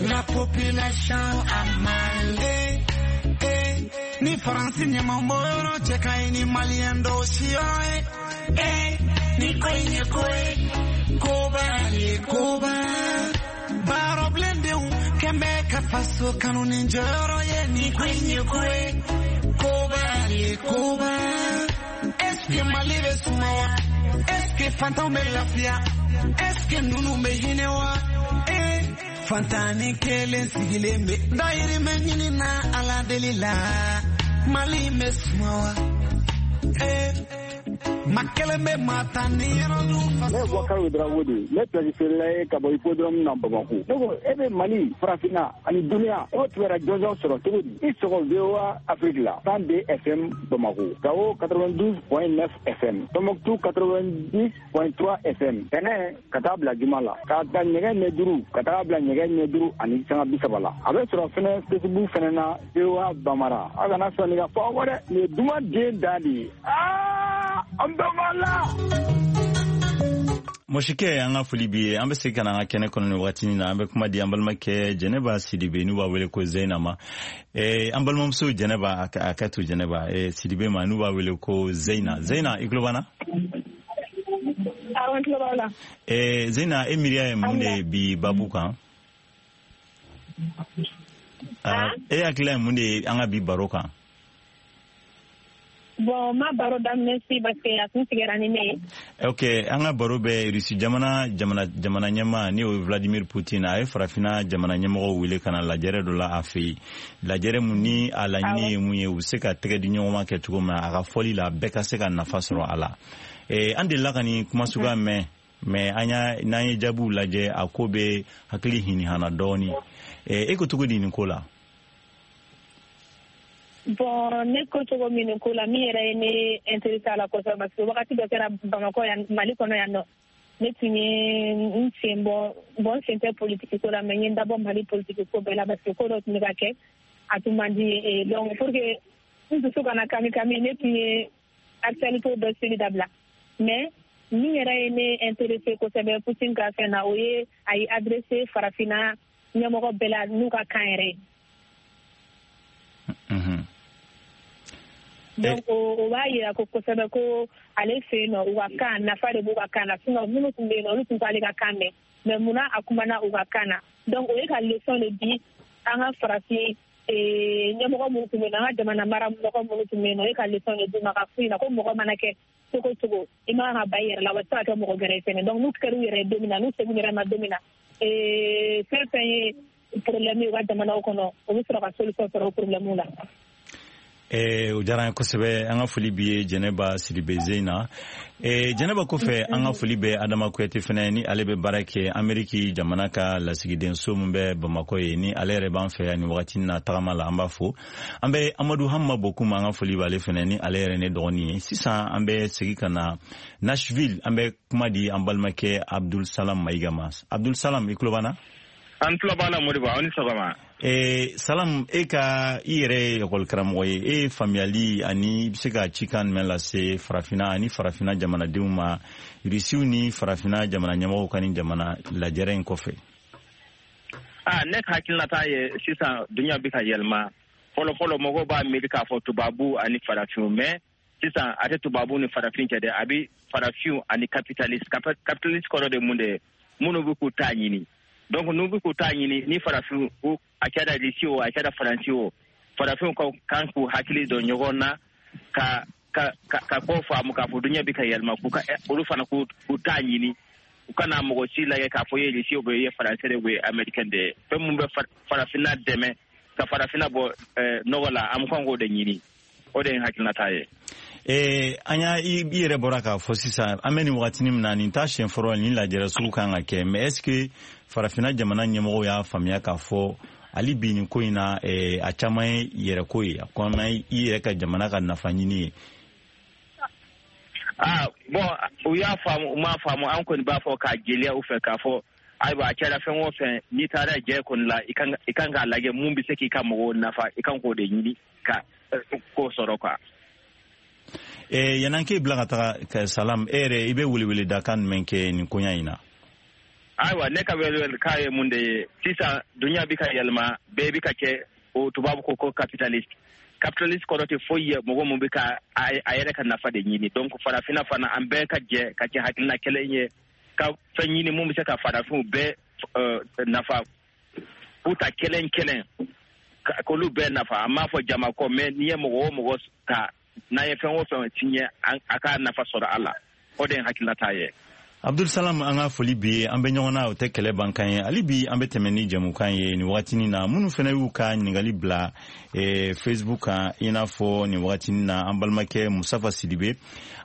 Speaker 5: la population a mal. Eh, eh, ni Faransi ɲɛmɔgɔ cɛ ka ɲi ni Maliyɛn dɔw siyɔrɔ ye. Eh, ni ko in ye ko ye, koba ye koba. Baarɔbilendenw kɛn bɛ ka faso kanu ni jɔyɔrɔ ye. Ni ko in ye ko ye, koba ye koba. Est-ce que Mali bɛ sumaya? Est-ce que fantanw bɛ lafiya? Est-ce que ninnu bɛ hinɛ wa? Eh, fantan kelen sigilen bɛ dayirimɛ ɲini na Ala deli la. Mali bɛ suma wa? Eh, ma kelen bɛ maa tan ni yɔrɔ dun faso.
Speaker 12: Ne ye Bubakari Ouedraogo de ye, ne place feerela ye ka bɔ hippodrome na Bamako. Ne ko e bɛ Mali, Farafinna ani duniya, e b'o kibaruya jɔnjɔn sɔrɔ cogo di? I sɔgɔ VOA Afrique la 102 FM Bamako, Gao 92.9 FM, Tombouctou 90.3 FM. Tɛnɛ ka taa bila juma la, k'a ta nɛgɛ ɲɛ 5 ka taa bila nɛgɛ ɲɛ 5:30 la. A bɛ sɔrɔ fɛnɛ Facebook fɛnɛ na VOA Bambara. Aw kana sɔn nin ka fɔ aw kɔ dɛ, nin ye duman den dan de ye. Aa, an bɛɛ b'a la.
Speaker 4: Mɔsikɛ, an ka foli b'i ye. An bɛ segin ka na an ka kɛnɛ kɔnɔ nin wagatinin na. An bɛ kuma di an balimakɛ Jɛnɛba Sidibe, n'u b'a wele ko Zeyina ma. An balimamuso Jɛnɛba, a ka to Jɛnɛba Sidibe ma, n'u b'a wele ko Zeyina. Zeyina, i tulo b'an na?
Speaker 6: Awɔ, n tulo b'aw la.
Speaker 4: Zeyina, e miiriya ye mun de ye bi babu kan? E hakilila ye mun de ye an ka bi baro kan?
Speaker 6: Bon, ma baro daminɛ si parce que a tun sigira ni ne ye.
Speaker 4: Ok, an ka baro bɛ Rusi jamana jamana jamana ɲɛmaa, ni o ye Vladimir Poutine, a ye farafinna jamana ɲɛmɔgɔw wele ka na lajɛrɛ dɔ la a fɛ yen. Lajɛrɛ mun ni a laɲini ye mun ye, u bɛ se ka tɛgɛ di ɲɔgɔn ma kɛ cogo min na, a ka fɔli la bɛɛ ka se ka nafa sɔrɔ a la. An delila ka nin kuma suguya mɛn, mais an y'a n'an ye jaabiw lajɛ, a ko bɛ hakili hinihana dɔɔni. E ko cogo di nin ko la?
Speaker 6: Bon, ne ko cogo min nin ko la, min yɛrɛ ye ne intéressé a la kosɛbɛ, parce que wagati dɔ kɛra Bamakɔ yan, Mali kɔnɔ yan nɔ, ne tun ye n sen bɔ, bon, n sen tɛ politiki ko la, mais n ye n dabɔ Mali politiki ko bɛɛ la, parce que ko dɔ tun bɛ ka kɛ, a tun man di n ye. Donc pour que n dusu kana kami kami, ne tun ye actualité bɛɛ suivi dabila. Mais min yɛrɛ ye ne intéressé kosɛbɛ Poutine ka fɛn na, o ye a ye adressé farafinna ɲɛmɔgɔ bɛɛ la n'u ka kan yɛrɛ ye. Donc o b'a yira ko kosɛbɛ ko ale fɛ yen nɔ, u ka kan nafa de b'u ka kan na. Sinon minnu tun bɛ yen nɔ, olu tun t'ale ka kan mɛn, mais munna a kumana u ka kan na? Donc o ye ka leçon de di an ka farafin ɲɛmɔgɔ minnu tun bɛ yen nɔ, an ka jamana mara mɔgɔ minnu tun bɛ yen nɔ, o ye ka leçon de d'u ma, ka f'u ɲɛna ko mɔgɔ mana kɛ cogo cogo, i man kan ka ban i yɛrɛ la, wa i tɛ se ka kɛ mɔgɔ gɛrɛ ye fɛnɛ. Donc n'u kɛra u yɛrɛ ye don min na, n'u seginna u yɛrɛ ma don min na, fɛn fɛn ye problème ye u ka jamanaw kɔnɔ, o bɛ sɔrɔ ka solution sɔrɔ o problème la.
Speaker 4: O diyara an ye kosɛbɛ. An ka foli b'i ye, Jɛnɛba Sidibe Zeyina. Jɛnɛba kɔfɛ, an ka foli bɛ Adama Kuyate fɛnɛ, ni ale bɛ baara kɛ Ameriki jamana ka lasigidenso min bɛ Bamakɔ ye, ni ale yɛrɛ b'an fɛ yan nin wagati na tagama la, an b'a fo. An bɛ Amadu Hamma Bokum, an ka foli b'ale fɛnɛ, ni ale yɛrɛ ne dɔgɔnin ye. Sisan an bɛ segin ka na Nashville, an bɛ kuma di an balimakɛ Abdul Salam Mayiga ma. Abdul Salam, i tulo b'an na?
Speaker 13: An tulo b'a la, Modibo, aw ni sɔgɔma.
Speaker 4: Salam, e ka i yɛrɛ ye ekɔli karamɔgɔ ye, e ye faamuyali ani i bɛ se ka cikan jumɛn lase farafinna ani farafinna jamanadenw ma, Rusiw ni farafinna jamana ɲɛmɔgɔw ka nin jamana lajɛrɛ in kɔfɛ?
Speaker 13: Ne ka hakilinata ye sisan duɲa bɛ ka yɛlɛma. Fɔlɔ fɔlɔ mɔgɔw b'a miiri k'a fɔ tubabu ani farafinw, mais sisan a tɛ tubabu ni farafin cɛ dɛ, a bɛ farafinw ani capitaliste. Capitaliste kɔrɔ de mun de ye? Minnu bɛ k'u ta ɲini. Donc n'u bɛ k'u ta ɲini, ni farafin, a kɛra Russie o, a kɛra Faransi o, farafinw ka kan k'u hakili don ɲɔgɔn na ka ka ka ko faamu k'a fɔ duɲa bɛ ka yɛlɛma, k'u ka olu fana k'u ta ɲini, u kana mɔgɔ si lajɛ k'a fɔ i ye Russie o, i ye Faransi de o, i ye Américain de ye. Fɛn mun bɛ farafinna dɛmɛ ka farafinna bɔ nɔgɔ la, an kan k'o de ɲini. O de ye n hakilinata ye.
Speaker 4: An y'a i yɛrɛ bɔra k'a fɔ sisan, an bɛ nin wagatinin min na, nin t'a siɲɛ fɔlɔ nin lajɛrɛ sugu kan ka kɛ, mais est ce que farafinna jamana ɲɛmɔgɔw y'a faamuya k'a fɔ hali bi nin ko in na, a caman ye yɛrɛko ye, a caman ye i yɛrɛ ka jamana ka nafa ɲini ye?
Speaker 13: Bon, u y'a faamu, u m'a faamu, an kɔni b'a fɔ k'a jeliya u fɛ k'a fɔ ayiwa, a kɛra fɛn o fɛn, n'i taara jɛ kɔni la, i kan k'a lajɛ mun bɛ se k'i ka mɔgɔw nafa, i kan k'o de ɲini ka k'o sɔrɔ quoi.
Speaker 4: Yan'an k'e bila ka taga, Salam, e yɛrɛ i bɛ weleweledakan jumɛn kɛ nin koɲa in na?
Speaker 13: Ayiwa, ne ka welewelekan ye mun de ye? Sisan dunuya bɛ ka yɛlɛma, bɛɛ bɛ ka kɛ o tubabu ko capitaliste. Capitaliste kɔrɔ tɛ foyi ye, mɔgɔ mun bɛ ka a yɛrɛ ka nafa de ɲini. Donc farafinna fana, an bɛɛ ka jɛ ka kɛ hakilina kelen ye, ka fɛn ɲini mun bɛ se ka farafinw bɛɛ nafa, k'u ta kelen kelen, k'olu bɛɛ nafa. An m'a fɔ jama kɔ, mais n'i ye mɔgɔ o mɔgɔ ta, n'an ye fɛn o fɛn signé, a ka nafa sɔrɔ a la. O de ye hakilinata ye.
Speaker 4: Abdul Salam, an ka foli bi ye. An bɛ ɲɔgɔn na, o tɛ kɛlɛ bankan ye. Hali bi an bɛ tɛmɛ ni jɛmukan ye nin wagatinin na. Minnu fana y'u ka ɲininkali bila Facebook kan, i n'a fɔ nin wagatinin na an balimakɛ Musafa Sidibe,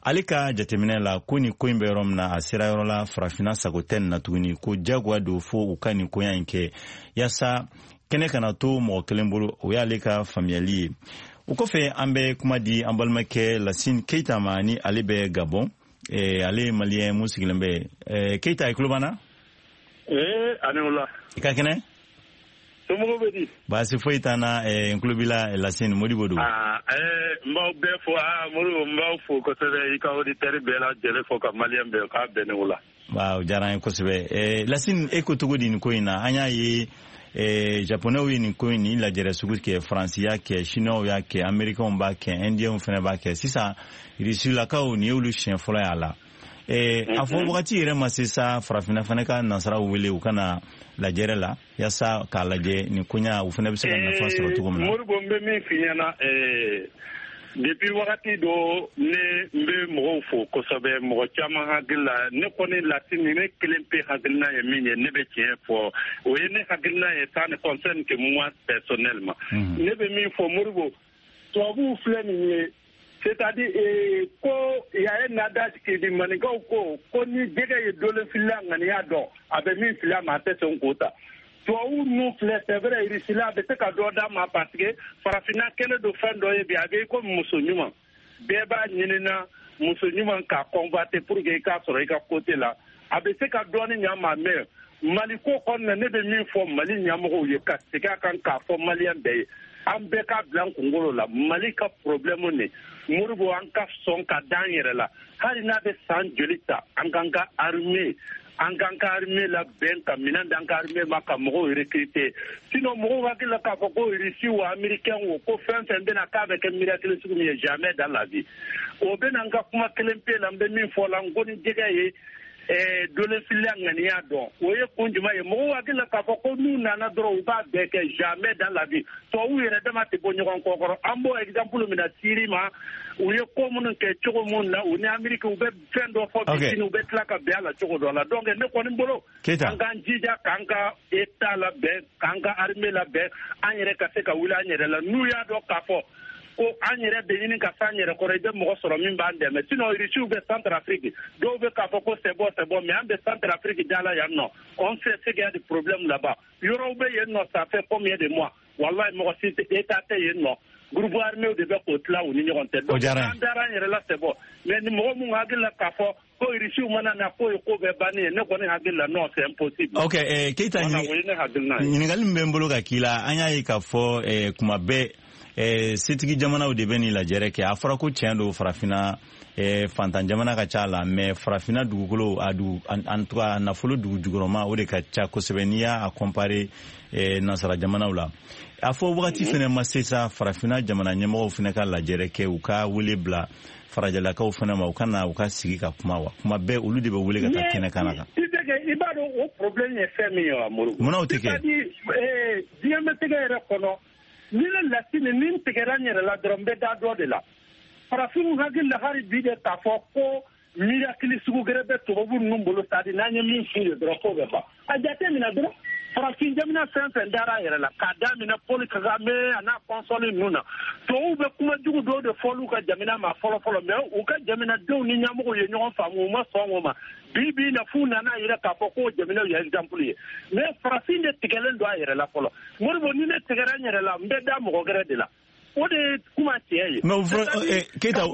Speaker 4: ale ka jateminɛ la ko nin ko in bɛ yɔrɔ min na, a sera yɔrɔ la, farafinna sago tɛ nin na tuguni, ko jagoya don fo u ka nin koɲa in kɛ yaasa kɛnɛ kana to mɔgɔ kelen bolo. O y'ale ka faamuyali ye. O kɔfɛ, an bɛ kuma di an balimakɛ Lasine Keita ma, ni ale bɛ Gabon. Ale ye Malien mun sigilen bɛ. Keita, i tulo b'an na?
Speaker 14: Ee, ani wula.
Speaker 4: I ka kɛnɛ?
Speaker 14: Somɔgɔw bɛ di?
Speaker 4: Baasi foyi t'an na. N tulo b'i la, Lasine. Modibo don.
Speaker 14: Aa, n b'aw bɛɛ fo. Aa, Modibo, n b'aw fo kosɛbɛ. I ka auditeur bɛɛ lajɛlen fo, ka Malien bɛɛ k'a bɛn ni wula.
Speaker 4: Waaw, o diyara an ye kosɛbɛ. Lasine, e ko cogo di nin ko in na? An y'a ye Japonɛw ye nin ko in, nin lajɛrɛ sugu kɛ, Faransi y'a kɛ, Chinois y'a kɛ, Américains b'a kɛ, Indiens fana b'a kɛ. Sisan Rusilakaw, nin y'olu siɲɛ fɔlɔ y'a la. A fɔ wagati yɛrɛ ma se sa, farafinna fana ka nansaraw wele u ka na lajɛrɛ la, yaasa k'a lajɛ nin koɲa, u fana bɛ se ka nafa sɔrɔ cogo min na?
Speaker 14: Modibo, n bɛ min f'i ɲɛna, depuis wagati dɔ, ne n bɛ mɔgɔw fo kosɛbɛ. Mɔgɔ caman hakili la, ne kɔni Lasine, ne kelen pe hakilina ye min ye, ne bɛ tiɲɛ fɔ, o ye ne hakilina ye, ça ne concerne que moi personnellement. Ne bɛ min fɔ, Modibo, tubabuw filɛ nin ye, c'est-à-dire ko y a un adage qui dit, maninkaw ko ni jɛgɛ ye dole filila ŋaniya dɔn, a bɛ min fili a ma, a tɛ sɔn k'o ta. Tubabu ninnu filɛ, c'est vrai, Russie a bɛ se ka dɔ d'a ma, parce que farafinna kɛlen don fɛn dɔ ye bi, a bɛ komi muso ɲuman, bɛɛ b'a ɲinina muso ɲuman k'a convoiter pour que i k'a sɔrɔ i ka côté la. A bɛ se ka dɔɔni ɲa ma, mais Mali ko kɔnɔna, ne bɛ min fɔ Mali ɲɛmɔgɔw ye, ka segin a kan k'a fɔ Malien bɛɛ ye, an bɛɛ k'a bila an kunkolo la, Mali ka problème nin, Modibo, an ka sɔn ka da an yɛrɛ la. Hali n'a bɛ san joli ta, an k'an ka armée labɛn, ka minɛn d'an ka armée ma, ka mɔgɔw recruter. Sinon mɔgɔw hakili la k'a fɔ ko Russie o, Américain o, ko fɛn fɛn bɛna k'a bɛ kɛ miracle sugu min ye, jamais dans la vie. O bɛna n ka kuma kelen pe la, n bɛ min fɔ la, n ko ni jɛgɛ ye dolefiliya ŋaniya dɔn, o ye kun jumɛn ye? Mɔgɔw hakili la k'a fɔ ko n'u nana dɔrɔn, u b'a bɛɛ kɛ, jamais dans la vie. Tubabuw yɛrɛ dama tɛ bɔ ɲɔgɔn kɔ kɔrɔ. An b'o exemple minɛ Syrie ma, u ye ko minnu kɛ cogo min na, u ni Amérique, u bɛ fɛn dɔ fɔ bi, sini u bɛ tila ka bɛn a la cogo dɔ la. Donc ne kɔni bolo, an k'an jija k'an ka état labɛn, k'an ka armée labɛn, an yɛrɛ ka se ka wuli an yɛrɛ la. N'u y'a dɔn k'a fɔ ko an yɛrɛ bɛ ɲini ka s'an yɛrɛ kɔrɔ, i bɛ mɔgɔ sɔrɔ min b'an dɛmɛ. Sinon Russiw bɛ Centrafrique, dɔw bɛ k'a fɔ ko c'est bon, c'est bon, mais an bɛ Centrafrique da la yan nɔ, on sait ce qu'il y a de problème là-bas. Yɔrɔw bɛ yen nɔ, ça fait combien de mois, wallahi, mɔgɔ si tɛ, état tɛ yen nɔ, groupe armé de bɛ k'o tila u ni ɲɔgɔn cɛ. Donc an dara an yɛrɛ la, c'est bon, mais ni mɔgɔ mun hakili la k'a fɔ ko Russiw mana na k'o ye ko bɛɛ bannen ye, ne kɔni hakili la, non, c'est impossible.
Speaker 4: Ok, Keita, ɲininkali min bɛ n bolo ka k'i la, an y'a ye k'a fɔ kuma bɛɛ setigi jamanaw de bɛ nin lajɛrɛ kɛ. A fɔra ko tiɲɛ don, farafinna fantan jamana ka ca la, mais farafinna dugukolo a dugu, en tout cas a nafolo dugu jukɔrɔma, o de ka ca kosɛbɛ n'i y'a comparer nansara jamanaw la. A fɔ wagati fɛnɛ ma se sa, farafinna jamana ɲɛmɔgɔw fɛnɛ ka lajɛrɛ kɛ, u ka wele bila farajɛlakaw fɛnɛ ma, u ka na u ka sigi ka kuma wa? Kuma bɛɛ olu de bɛ wele ka taa kɛnɛ kan kan.
Speaker 14: I b'a dɔn o problème ye fɛn min ye wa, Modibo?
Speaker 4: Munna o tɛ kɛ?
Speaker 14: C'est-à-dire diɲɛmɛtigɛ yɛrɛ kɔnɔ, ni ne Lasine, ni n tigɛra n yɛrɛ la dɔrɔn, n bɛ da dɔ de la. Farafinw hakili la hali bi de k'a fɔ ko miracle sugu gɛrɛ bɛ tubabu ninnu bolo, c'est à dire n'an ye min f'u ye dɔrɔn, k'o bɛ ban. A jate minɛ dɔrɔn, farafin jamana fɛn fɛn dara a yɛrɛ la, k'a daminɛ Paul Kagame a n'a consort ninnu na, tubabuw bɛ kuma jugu dɔw de fɔl'u ka jamana ma fɔlɔ fɔlɔ, mais u ka jamanadenw ni ɲɛmɔgɔw ye ɲɔgɔn faamu, u ma sɔn o ma. Bi bi in na, f'u nana yɛrɛ k'a fɔ k'o jamanaw ye exemple ye. Mais farafin de tigɛlen don a yɛrɛ la fɔlɔ. Modibo, ni ne tigɛra n yɛrɛ la, n bɛ da mɔgɔ gɛrɛ de la. O de ye kuma tiɲɛ ye.
Speaker 4: Mais o fɔra, Keita,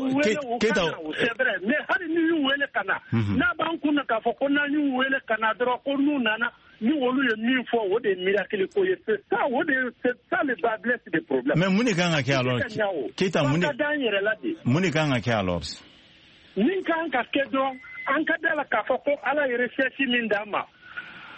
Speaker 4: Keita.
Speaker 14: C'est vrai, mais hali ni y'u wele ka na, n'a b'an kun na k'a fɔ ko n'an y'u wele ka na dɔrɔn, ko n'u nana, ni olu ye min fɔ, o de ye miracle ko ye, c'est ça, o de c'est ça le bât blesse des problèmes.
Speaker 4: Mais mun de kan ka kɛ alors, Keita? Mun de
Speaker 14: ka d'an yɛrɛ la de?
Speaker 4: Mun de kan ka kɛ alors?
Speaker 14: Min kan ka kɛ dɔrɔn, an ka da la k'a fɔ ko Ala ye recherche min d'an ma.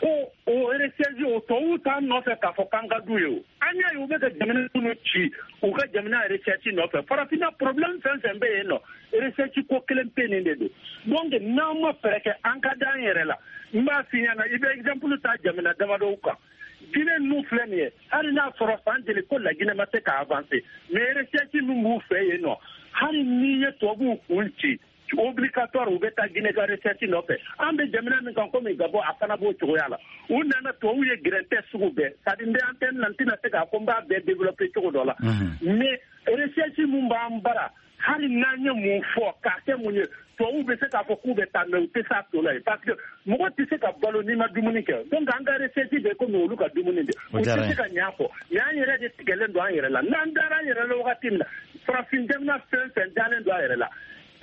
Speaker 14: Ko o recherche o tubabuw t'an nɔfɛ k'a fɔ k'an ka d'u ye o. An y'a ye u bɛ ka jamana minnu ci u ka jamana recherche nɔfɛ. Farafinna problème fɛn fɛn bɛ yen nɔ, recherche ko kelen pe nin de don. Donc n'an ma fɛɛrɛ kɛ an ka d'an yɛrɛ la, n b'a f'i ɲɛna, i bɛ exemple ta jamana damadɔw kan. Guinée ninnu filɛ nin ye, hali n'a sɔrɔ san jeli ko la Guinée ma se ka avancer, mais recherche min b'u fɛ yen nɔ, hali n'i ye tubabuw kun ci, obligatoire u bɛ taa Guinée ka recherche nɔfɛ. An bɛ jamana min kan komi Gabon, a fana b'o cogoya la. U nana tubabuw ye gɛrɛntɛ sugu bɛɛ, c'est à dire n bɛ antenne na, n tɛna se k'a fɔ n b'a bɛɛ développer cogo dɔ la, mais recherche min b'an bara, hali n'an ye mun fɔ k'a kɛ mun ye, tubabuw bɛ se k'a fɔ k'u bɛ taa, mais u tɛ s'a to la yen, parce que mɔgɔ tɛ se ka balo n'i ma dumuni kɛ. Donc an ka recherche bɛ komi olu ka dumuni de, u tɛ se ka ɲɛ a kɔ. Mais an yɛrɛ de tigɛlen don an yɛrɛ la. N'an dara an yɛrɛ la wagati min na, farafin jamana fɛn fɛn dalen don a yɛrɛ la,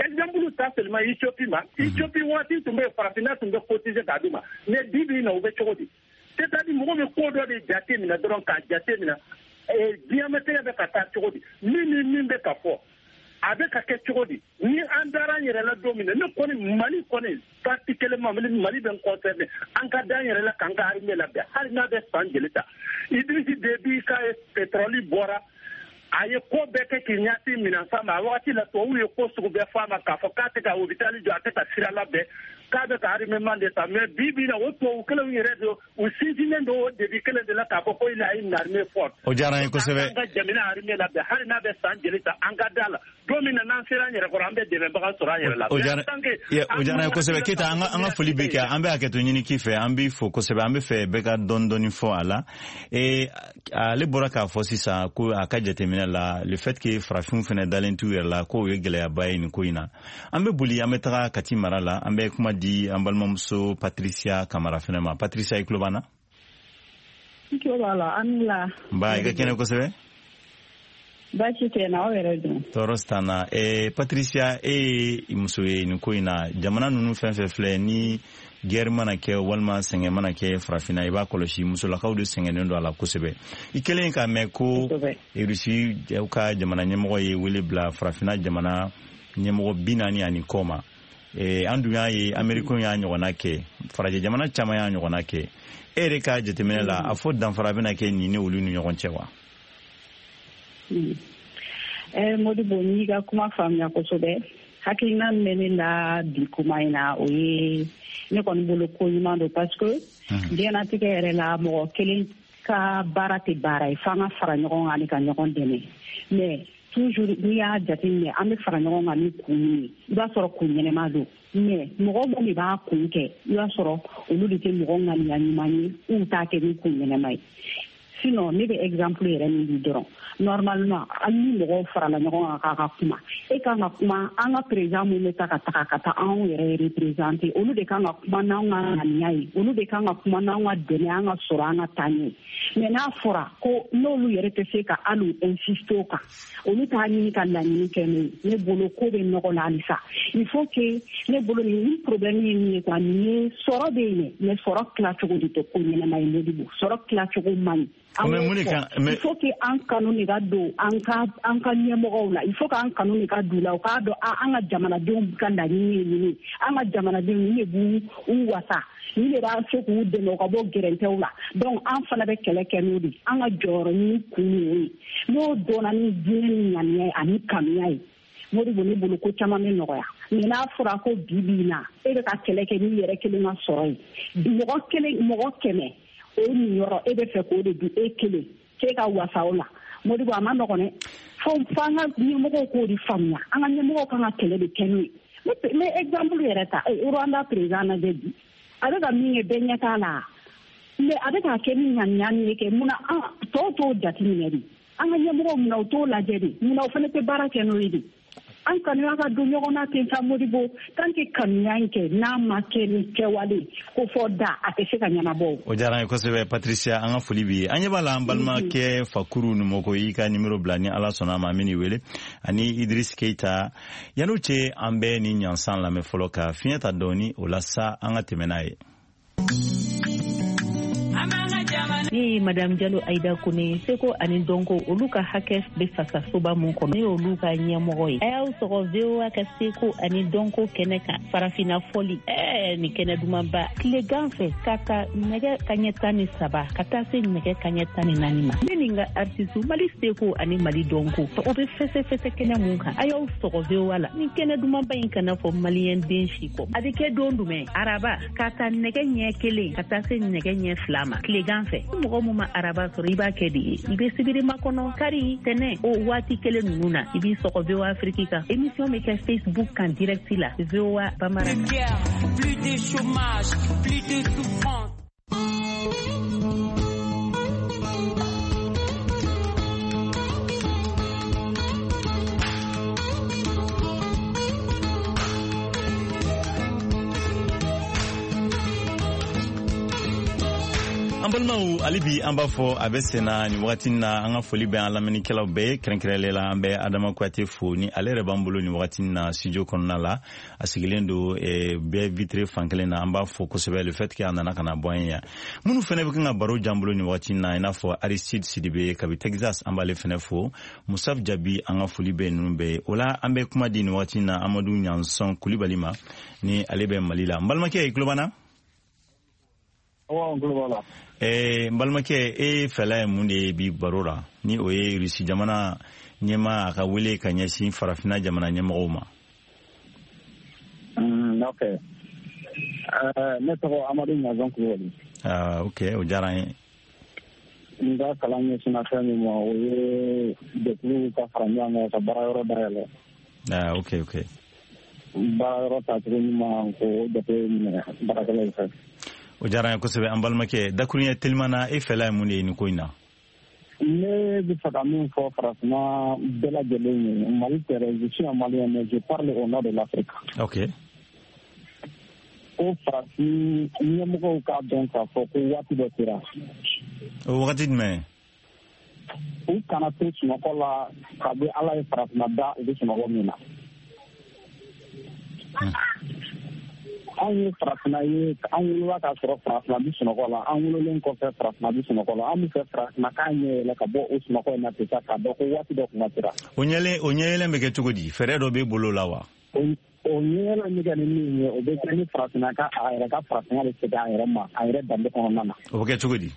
Speaker 14: exemple ta seulement Éthiopie ma. Éthiopie waati tun bɛ yen, farafinna tun bɛ cotiser k'a d'u ma, mais bi bi in na, u bɛ cogo di? C'est à dire mɔgɔ bɛ ko dɔ de jate minɛ dɔrɔn k'a jate minɛ diɲɛlatigɛ bɛ ka taa cogo di, min ni min bɛ ka fɔ, a bɛ ka kɛ cogo di. Ni an dara an yɛrɛ la don min na, ne kɔni Mali kɔni particulièrement Mali bɛ n concerné, an ka da an yɛrɛ la k'an ka armée labɛn, hali n'a bɛ san jeli ta. Idriss Déby ka pétrole bɔra, a ye ko bɛɛ kɛ k'i ɲɛsin minɛnsan ma. A wagati la, tubabuw ye ko sugu bɛɛ fɔ a ma k'a fɔ k'a tɛ ka hôpital jɔ, a tɛ ka sira labɛn, k'a bɛ ka armement de ta. Mais bi bi na, o tubabu kelenw yɛrɛ don, u sinsinnen don o debi kelen de la k'a fɔ ko il a une armée forte.
Speaker 4: O diyara an ye kosɛbɛ.
Speaker 14: An ka jamana armée labɛn, hali n'a bɛ san jeli ta, an ka da la, don min na n'an sera an yɛrɛ kɔrɔ, an bɛ dɛmɛbaga sɔrɔ an yɛrɛ la.
Speaker 4: O diyara an ye kosɛbɛ. Keyita, an ka foli bɛ kɛ, an bɛ hakɛto ɲini k'i fɛ, an b'i fo kosɛbɛ. An bɛ fɛ bɛɛ ka dɔɔni dɔɔni fɔ a la. Ale bɔra k'a fɔ sisan ko a ka jateminɛ la, le fait que farafinw fana dalen t'u yɛrɛ la, k'o ye gɛlɛyaba ye nin ko in na. An bɛ boli, an bɛ taga Kati mara la, an bɛ kuma di an balimamuso Patricia Kamara fana ma. Patricia, i tulo b'an na?
Speaker 15: N tulo b'a la, an ni la.
Speaker 4: Nba, i ka kɛnɛ kosɛbɛ.
Speaker 15: Baasi tɛ na, aw yɛrɛ dun?
Speaker 4: Tɔɔrɔ t'an na. Patricia, e ye muso ye nin ko in na. Jamana ninnu fɛn fɛn filɛ ni guerre mana kɛ walima sɛgɛn mana kɛ farafinna, i b'a kɔlɔsi musolakaw de sɛgɛnnen don a la kosɛbɛ. I kɛlen k'a mɛn ko Rusi ka jamana ɲɛmɔgɔ ye wele bila farafinna jamana ɲɛmɔgɔ 40 ani kɔ ma, an dun y'a ye Amerikɛnw y'a ɲɔgɔnna kɛ, farajɛ jamana caman y'a ɲɔgɔnna kɛ. E yɛrɛ ka jateminɛ la, a fɔ danfara bɛna kɛ nin ni olu ni ɲɔgɔn cɛ wa?
Speaker 15: Modibo, n y'i ka kuma faamuya kosɛbɛ. Hakilina min bɛ ne la bi kuma in na, o ye ne kɔni bolo ko ɲuman don, parce que diɲɛlatigɛ yɛrɛ la, mɔgɔ kelen ka baara tɛ baara ye, f'an ka fara ɲɔgɔn kan ani ka ɲɔgɔn dɛmɛ. Mais toujours n'i y'a jateminɛ, an bɛ fara ɲɔgɔn kan ni kun min ye, i b'a sɔrɔ kun ɲɛnɛma don, mais mɔgɔ minnu de b'a kun kɛ, i b'a sɔrɔ olu de tɛ mɔgɔ ŋaniya ɲuman ye, u t'a kɛ ni kun ɲɛnɛma ye. Sinon ne bɛ exemple yɛrɛ min di dɔrɔn, normalement hali ni mɔgɔw farala ɲɔgɔn kan k'a ka kuma, e kan ka kuma, an ka président mun bɛ taa ka taga ka taa anw yɛrɛ représenter, olu de kan ka kuma n'anw ka ŋaniya ye, olu de kan ka kuma n'anw ka dɛmɛ, an ka sɔrɔ, an ka taa ɲɛ. Mais n'a fɔra ko n'olu yɛrɛ tɛ se ka hali insister o kan, olu t'a ɲini ka laɲini kɛ n'o ye, ne bolo ko bɛ nɔgɔ la halisa. Il faut que ne bolo nin problème ye min ye quoi, nin ye sɔrɔ bɛ yen, mais sɔrɔ tilacogo de tɛ ko ɲɛnama ye. Modibo, sɔrɔ tilacogo man ɲi. Il faut que an kanu de ka don an ka ɲɛmɔgɔw la, il faut que an kanu de ka don u la, u k'a dɔn an ka jamanadenw ka laɲini ye nin ye, an ka jamanadenw nin de b'u u wasa, nin de b'a se k'u dɛmɛ u ka bɔ gɛrɛntɛw la. Donc an fana bɛ kɛlɛ kɛ n'o de, an ka jɔyɔrɔ ɲini kun ye o ye. N'o dɔnna ni diinɛ ni ŋaniya ye ani kanuya ye, Modibo, ne bolo ko caman bɛ nɔgɔya. Mais n'a fɔra ko bi bi in na, e bɛ ka kɛlɛ kɛ n'i yɛrɛ kelen ka sɔrɔ ye, mɔgɔ kelen, mɔgɔ 100, o niyɔrɔ e bɛ fɛ k'o de dun e kelen, k'e ka wasa o la, Modibo, a ma nɔgɔn dɛ. Fo an ka ɲɛmɔgɔw k'o de faamuya, an ka ɲɛmɔgɔw kan ka kɛlɛ de kɛ n'o ye. N bɛ exemple yɛrɛ ta, Rwanda président lajɛ bi, a bɛ ka min kɛ, bɛɛ ɲɛ t'a la, mais a bɛ k'a kɛ ni ŋaniya min ye kɛ, munna an tɔw t'o jateminɛ de? An ka ɲɛmɔgɔw, munna u t'o lajɛ de? Munna o fana tɛ baara kɛ n'o ye de? An kanuya ka don ɲɔgɔn na ten sa, Modibo. Tant que kanuya in kɛ n'a ma kɛ ni kɛwale ko fɔ da, a tɛ se ka ɲɛnabɔ.
Speaker 4: O diyara an ye kosɛbɛ, Patricia, an ka foli b'i ye. An ɲɛ b'a la, an balimakɛ Fakuru Numɔgɔ y'i ka nimero bila, ni Ala sɔnna a ma, an bɛ wele, ani Idris Keita. Yan'o cɛ, an bɛ ni ɲansan lamɛn fɔlɔ ka fiɲɛ ta dɔɔni, o la sa an ka tɛmɛ n'a ye.
Speaker 15: Ne ye Madame Jalo Ayida Kone ye. Seko ani dɔnko, olu ka hakɛ bɛ fasasoba mun kɔnɔ, ne y'olu ka ɲɛmɔgɔ ye. A y'aw sɔgɔ VOA ka seko ani dɔnko kɛnɛ kan, farafinna fɔli, nin kɛnɛ dumanba, tilegan fɛ ka ta nɛgɛ kaɲɛ 13 ka taa se nɛgɛ kaɲɛ 14 ma. Ne ni n ka artiste, Mali seko ani Mali dɔnko, o bɛ fɛsɛfɛsɛ kɛnɛ mun kan, a y'aw sɔgɔ VOA la. Nin kɛnɛ dumanba in kana fɔ maliyɛn den si kɔ. A bɛ kɛ don jumɛn? Araba, ka ta nɛgɛ ɲɛ 1 ka taa se nɛgɛ ɲɛ 2 ma tilegan fɛ. Mɔgɔ mun ma araba sɔrɔ, i b'a kɛ de ye, i bɛ sibiri makɔnɔ, kari, tɛnɛ, o waati kelen ninnu na, i b'i sɔgɔ VOA Afrique kan. Émission bɛ kɛ Facebook kan direct la, VOA Bambara.
Speaker 16: Plus de chômage, plus de souffrance.
Speaker 4: An balimaw, hali bi an b'a fɔ a bɛ senna nin wagati na. An ka foli bɛ an lamɛnnikɛlaw bɛɛ ye, kɛrɛnkɛrɛnlen la an bɛ Adama Kuyate fo ni ale yɛrɛ b'an bolo nin wagati na studio kɔnɔna la. A sigilen don bɛɛ vitre fan kelen na. An b'a fo kosɛbɛ le fait que a nana ka na bɔ an ye yan. Minnu fɛnɛ bɛ kan ka baro jan bolo nin wagati na, i n'a fɔ Aristide Sidibe kabi Texas, an b'ale fɛnɛ fo. Musaf Jabi, an ka foli bɛ ninnu bɛɛ ye. O la an bɛ kuma di nin wagati na Amadu Ɲansɔn Kulibali ma, ni ale bɛ Mali la. N balimakɛ, i tulo b'an na? N balimakɛ, e fɛla ye mun de ye bi baro la, ni o ye Rusi jamana ɲɛmaa a ka wele ka ɲɛsin farafinna jamana ɲɛmɔgɔw ma?
Speaker 10: Ok, ne tɔgɔ Amadu Ɲazɔn Kulubali.
Speaker 4: Ok, o diyara n ye.
Speaker 10: N ka kalan ɲɛsinna fɛn min ma, o ye jɛkulu ka fara ɲɔgɔn kan ka baara yɔrɔ dayɛlɛ.
Speaker 4: Ok.
Speaker 10: Baara yɔrɔ tacogo ɲuman, k'o jate minɛ baarakɛlaw fɛ.
Speaker 4: O diyara n ye kosɛbɛ, an balimakɛ. Dakuruɲɛ teliman na, e fɛla ye mun de ye nin ko in na?
Speaker 10: Ne bɛ fɛ ka min fɔ farafinna bɛɛ lajɛlen ye, Mali tɛ dɛ, je suis un Malien, mais je parle au nom de l'Afrique.
Speaker 4: Ok.
Speaker 10: Ko farafin ɲɛmɔgɔw k'a dɔn k'a fɔ ko waati dɔ sera.
Speaker 4: O wagati jumɛn?
Speaker 10: U kana to sunɔgɔ la kabi Ala ye farafinna da, u bɛ sunɔgɔ min na. Anw ye farafinna ye, an wolola k'a sɔrɔ farafinna bɛ sunɔgɔ la, an wololen kɔfɛ farafinna bɛ sunɔgɔ la. An bɛ fɛ farafinna k'a ɲɛ yɛlɛ ka bɔ o sunɔgɔ in na ten sa, k'a dɔn ko waati dɔ kuma sera.
Speaker 4: O ɲɛyɛlɛ bɛ kɛ cogo di? Fɛɛrɛ dɔ b'e bolo la wa?
Speaker 10: O ɲɛyɛlɛ bɛ kɛ ni min ye, o bɛ kɛ ni farafinna ka a yɛrɛ ka farafinna bɛ segin a yɛrɛ ma, a yɛrɛ danbe kɔnɔna na.
Speaker 4: O bɛ kɛ cogo di?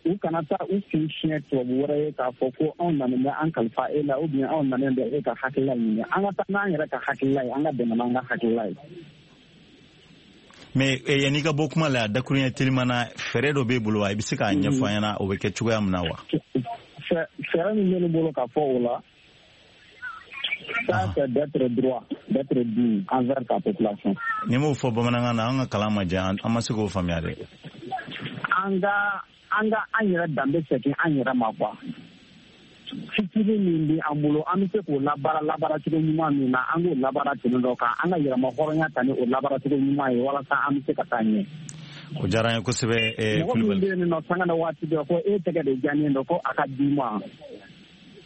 Speaker 10: U kana taa u kun siɲɛ tubabu wɛrɛ ye k'a fɔ ko anw nanen bɛ an kalifa e la, ou bien anw nanen bɛ e ka hakilila ɲini. An ka taa n'an yɛrɛ ka hakilila ye, an ka dɛmɛ n'an ka hakilila ye.
Speaker 4: Mais yanni ka bɔ kuma la, dakuruɲɛ teliman na, fɛɛrɛ dɔ b'e bolo wa? I bɛ se k'a ɲɛfɔ an ɲɛna o bɛ kɛ cogoya min na wa?
Speaker 10: Fɛɛrɛ min bɛ ne bolo ka fɔ o la, ça c'est d'être droit, d'être digne envers ta population.
Speaker 4: N'i m'o fɔ bamanankan na, an ka kalan ma diya, an ma se k'o faamuya dɛ.
Speaker 10: An ka an yɛrɛ danbe segin an yɛrɛ ma quoi. Fitinin min bɛ an bolo, an bɛ se k'o labaara cogo ɲuman min na, an k'o labaara ten dɔ kan, an ka yɛrɛma hɔrɔnya ta ni o labaara cogo ɲuman ye, walasa an bɛ se ka taa ɲɛ.
Speaker 4: O diyara n ye kosɛbɛ.
Speaker 10: Mɔgɔ min bɛ yen nɔ sanga na waati bɛɛ ko e tɛgɛ de diyanen don ko a ka d'i ma,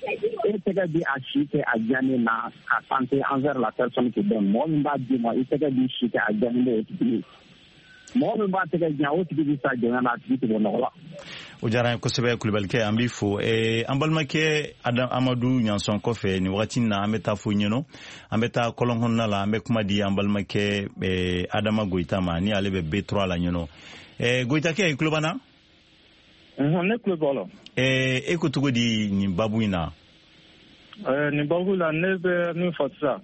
Speaker 10: e tɛgɛ bɛ a si kɛ a diyanen na ka santé envers la personne qui donne. Mɔgɔ min b'a d'i ma, i tɛgɛ b'i si kɛ a diyanen don o tigi ye. Mɔgɔ min b'a tɛgɛ jan, o tigi bɛ sa jɔnya na, a tigi tɛ bɔ nɔgɔ la.
Speaker 4: O diyara n ye kosɛbɛ, Kulubalikɛ, an b'i fo. An balimakɛ Amadu Ɲansɔn kɔfɛ nin wagati na, an bɛ taa fo ɲɛnɔ, an bɛ taa kɔlɔn kɔnɔna la, an bɛ kuma di an balimakɛ Adama Goyita ma, ni ale bɛ B3 la ɲɛnɔ. Goyitakɛ, i tulo b'an na?
Speaker 17: Ne tulo b'a la.
Speaker 4: E ko cogo di nin babu in na?
Speaker 17: Nin babu la, ne bɛ min fɔ sisan,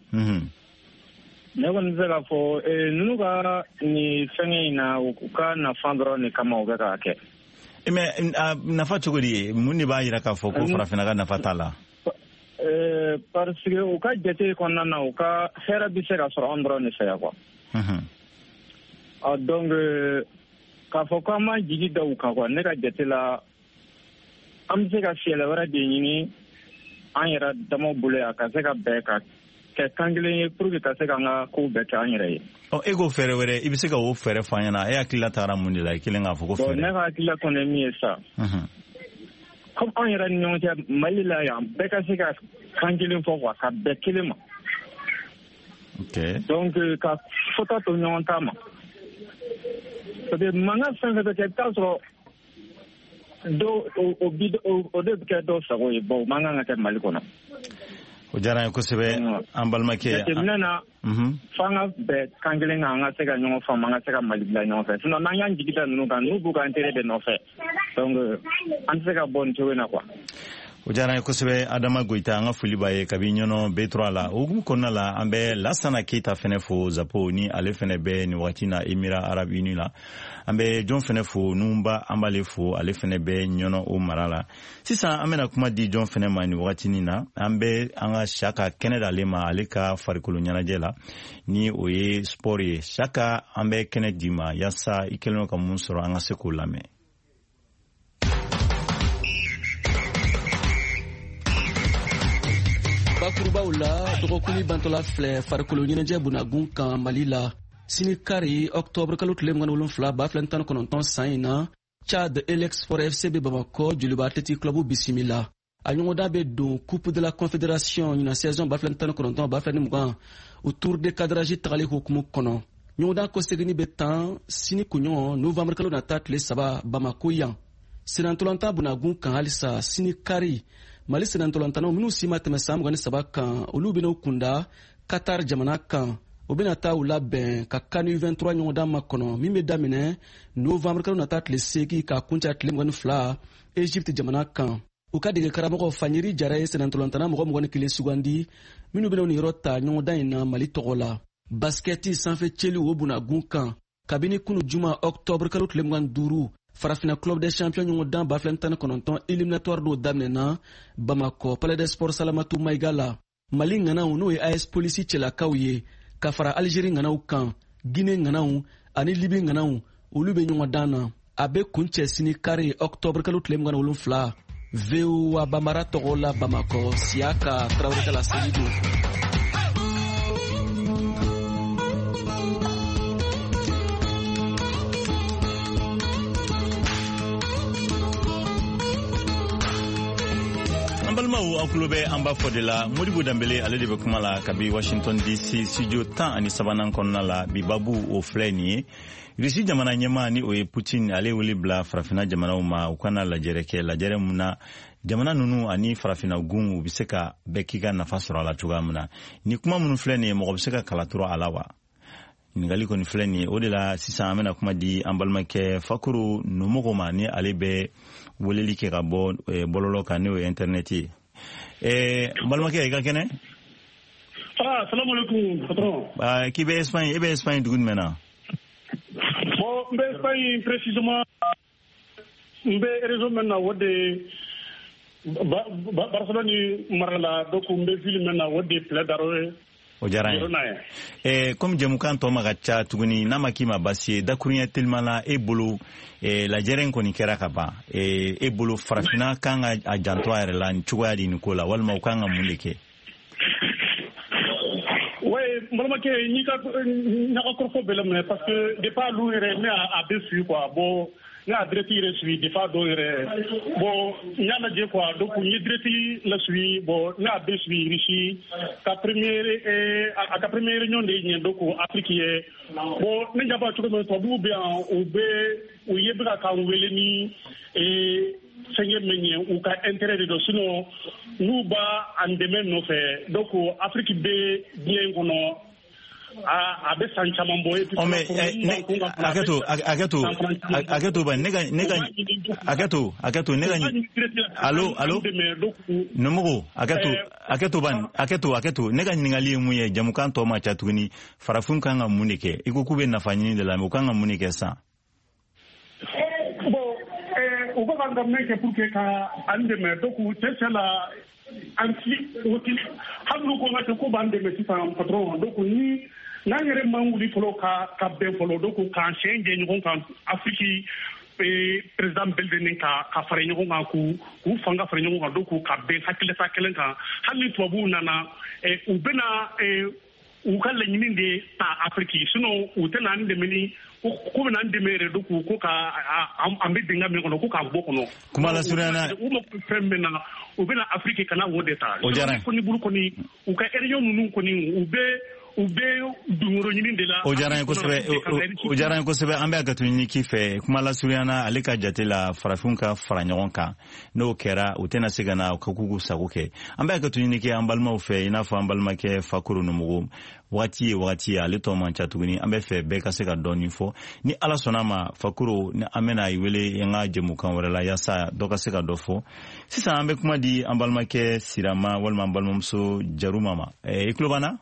Speaker 17: ne kɔni bɛ se k'a fɔ ninnu ka nin fɛngɛ in na, u ka nafa dɔrɔn de kama u bɛ k'a kɛ.
Speaker 4: Mais nafa cogo di ye? Mun de b'a jira k'a fɔ ko farafinna ka nafa t'a la?
Speaker 17: Parce que u ka jate kɔnɔna na, u ka hɛrɛ bɛ se ka sɔrɔ an dɔrɔn de fɛ yan quoi. Donc k'a fɔ k'an m'an jigi da u kan quoi, ne ka jate la, an bɛ se ka fiyɛlɛ wɛrɛ de ɲini an yɛrɛ damaw bolo yan, ka se ka bɛn ka kɛ kan kelen ye pour que ka se k'an ka kow bɛɛ kɛ an yɛrɛ ye.
Speaker 4: Ɔ, e ko fɛɛrɛ wɛrɛ, i bɛ se ka o fɛɛrɛ fɔ an ɲɛna? E hakilila taara mun de la i kelen k'a fɔ ko fɛɛrɛ?
Speaker 17: Bon, ne ka hakilila kɔni ye min ye sa, comme anw yɛrɛ ni ɲɔgɔn cɛ Mali la yan, bɛɛ ka se ka kan kelen fɔ quoi, ka bɛn kelen ma.
Speaker 4: Ok.
Speaker 17: Donc ka fɔta to ɲɔgɔn ta ma. Parce que mankan fɛn fɛn bɛ kɛ, i bɛ taa sɔrɔ dɔw o de bɛ kɛ dɔw sago ye. Bon, o man kan ka kɛ Mali kɔnɔ.
Speaker 4: O diyara an ye kosɛbɛ, an balimakɛ.
Speaker 17: Jateminɛ na, f'an ka bɛn kan kelen kan, an ka se ka ɲɔgɔn faamu, an ka se ka Mali bila ɲɔgɔn fɛ. Sinon n'an y'an jigi da ninnu kan, n'u b'u ka intérêt de nɔfɛ, donc an tɛ se ka bɔ nin cogo in na quoi.
Speaker 4: O diyara an ye kosɛbɛ, Adama Goyita, an ka foli b'a ye kabi Ɲɔnɔ B3 la. O hukumu kɔnɔna la, an bɛ Lasana Keyita fɛnɛ fo Zapo, ni ale fɛnɛ bɛ nin wagati na Émirats Arabes Unis la. An bɛ jɔn fɛnɛ fo, Nunba, an b'ale fo, ale fɛnɛ bɛ Ɲɔnɔ o mara la. Sisan an bɛna kuma di jɔn fɛnɛ ma nin wagatinin na? An bɛ an ka Saka kɛnɛ d'ale ma, ale ka farikolo ɲɛnajɛ la, ni o ye sport ye. Saka, an bɛ kɛnɛ d'i ma yaasa i kɛlen ka mun sɔrɔ, an ka se k'o lamɛn.
Speaker 18: Bakurubaw la, dɔgɔkun bantɔla filɛ farikolo ɲɛnajɛ bunagun kan Mali la. Sini kari, ɔktɔburu kalo tile 27 2019 san in na, Chad Elec Sport FC bɛ Bamakɔ Joliba Athletic Club bisimila. A ɲɔgɔndan bɛ don Coupe de la Confédération ɲinan saison 2019-2020 o tour de cadrage tagali hukumu kɔnɔ. Ɲɔgɔndan kɔseginni bɛ tan sini kunɲɔgɔn novembre kalo nata tile 3 Bamako yan. Senatɔlantan bunagun kan halisa, sini kari, Mali senatɔlantannaw minnu si ma tɛmɛ san 23 kan, olu bɛna u kunda Qatar jamana kan. O bɛna taa u labɛn ka CAN U23 ɲɔgɔndan makɔnɔ min bɛ daminɛ novembre kalo nata tile 8 ka kuncɛ tile 22 Egypte jamana kan. U ka dege karamɔgɔ Fanyeri Jara ye senatɔlantanna mɔgɔ 21 sugandi minnu bɛna u niyɔrɔ ta ɲɔgɔndan in na Mali tɔgɔ la. Basikɛti sanfɛ cɛliw o bunagun kan, kabini kunu juma ɔktɔburu kalo tile 25, Farafina Club des Champions ɲɔgɔndan 2019 éliminatoire dɔw daminɛna Bamakɔ Palais des Sports Salamatu Mayiga la. Mali ŋanaw, n'o ye AS Polisi cɛlakaw ye, ka fara Algérie ŋanaw kan, Guinée ŋanaw ani Libi ŋanaw, olu bɛ ɲɔgɔndan na. A bɛ kuncɛ sini kari ɔktɔburu kalo tile 27. VOA Bambara tɔgɔ la Bamakɔ, Siyaka Tarawele ka laseli don.
Speaker 4: An balimaw, aw tulo bɛ an b'a fɔ de la. Modibo Danbele, ale de bɛ kuma la kabi Washington DC studio 13nan kɔnɔna la. Bi babu o filɛ nin ye: Rusi jamana ɲɛmaa, ni o ye Putin, ale wele bila farafina jamanaw ma, u kana lajɛrɛ kɛ, lajɛrɛ mun na jamana ninnu ani farafina gun u bɛ se ka bɛɛ k'i ka nafa sɔrɔ a la cogoya min na. Ni kuma minnu filɛ nin ye, mɔgɔ bɛ se ka kala turu a la wa? Ɲininkali kɔni filɛ nin ye. O de la sisan an bɛna kuma di an balimakɛ Fakuru Nomogo ma, ni ale bɛ weleli kɛ ka bɔ bɔlɔlɔ kan, n'o ye internet ye. N balimakɛ, i ka kɛnɛ?
Speaker 19: Ah, salam alaikum, patron.
Speaker 4: K'i bɛ Espagne, e bɛ Espagne dugu jumɛn na?
Speaker 19: Bon, n bɛ Espagne, précisément n bɛ région min na, o de Barcelone mara la. Donc n bɛ ville min na, o de Pla d'Aro ye.
Speaker 4: O diyara n ye. Komi jɛmukan tɔ ma ka ca tuguni, n'a ma k'i ma baasi ye, dakuruɲɛ telima la, e bolo, lajɛrɛ in kɔni kɛra ka ban, e bolo farafinna kan ka a janto a yɛrɛ la nin cogoya di nin ko la, walima u kan ka mun de kɛ?
Speaker 19: Oui, n balimakɛ, n y'i ka n ka kɔrɔfɔ bɛɛ laminɛ, parce que depuis olu yɛrɛ, ne a bɛ suivi quoi. Bon, ne y'a direct yɛrɛ suivi depuis a dɔw yɛrɛ. Bon, n y'a lajɛ quoi. Donc n ye direct la suivi. Bon, ne y'a bɛɛ suivi. Russie ka première, a ka première réunion de ye ɲɛ, donc Afrique ye. Bon, ne ɲɛ b'a cogo min, tubabuw bɛ yan, u bɛ u ye bɛ ka k'an wele ni fɛnkɛ min ye, u ka intérêt de don. Sinon n'u b'a an dɛmɛ nɔfɛ, donc Afrique bɛ diɲɛ in kɔnɔ, a bɛ san caman bɔ.
Speaker 4: Ɔ mais hakɛto, hakɛto, hakɛto ba, ne ka ne ka hakɛto, hakɛto, ne ka, allo, allo, Nomogo, hakɛto, hakɛto ban, hakɛto, hakɛto. Ne ka ɲininkali ye mun ye? Jamukan tɔ ma ca tuguni. Farafin kan ka mun de kɛ? I ko k'u bɛ nafa ɲini de la, mais u kan ka mun de kɛ sisan?
Speaker 19: Bon, u bɛ ka min kɛ pour que ka an dɛmɛ, donc cɛ cɛ la, an ti o ti, hali n'u ko ka ko b'an dɛmɛ sisan, patron. Donc ni n'an yɛrɛ man wuli fɔlɔ ka bɛn fɔlɔ, donc k'an sen jɛ ɲɔgɔn kan, Afiriki président bɛɛ lajɛlen ka fara ɲɔgɔn kan, k'u fanga fara ɲɔgɔn kan, donc ka bɛn hakilita kelen kan, hali ni tubabuw nana, u bɛna u ka laɲini de ta Afiriki. Sinon u tɛna an dɛmɛ ni ko bɛna an dɛmɛ yɛrɛ, donc ko ka an bɛ dingɛ min kɔnɔ, ko k'an bɔ kɔnɔ.
Speaker 4: Kuma lasurunya na,
Speaker 19: u mako bɛ fɛn min na, u bɛna Afiriki ka na o de ta.
Speaker 4: O diyara n ye.
Speaker 19: Kɔni bolo kɔni, u ka réunion ninnu kɔni, u bɛ U bɛ dungoro ɲini de la.
Speaker 4: O diyara n ye kosɛbɛ, o diyara n ye kosɛbɛ. An bɛ hakɛto ɲini k'i fɛ, kuma lasurunya na, ale ka jate la, farafinw ka fara ɲɔgɔn kan, n'o kɛra, u tɛna se ka na ka k'u sago kɛ. An bɛ hakɛto ɲini kɛ an balimaw fɛ, i n'a fɔ an balimakɛ Fakoro Nomogo. Wagati ye wagati ye, ale tɔ man ca tuguni. An bɛ fɛ bɛɛ ka se ka dɔɔni fɔ. Ni Ala sɔnna ma, Fakoro, ni an bɛna i wele an ka jɛmukan wɛrɛ la, yaasa dɔ ka se ka dɔ fɔ. Sisan an bɛ kuma di an balimakɛ Sirama walima an balimamuso Jaruma ma. I tulo b'an na?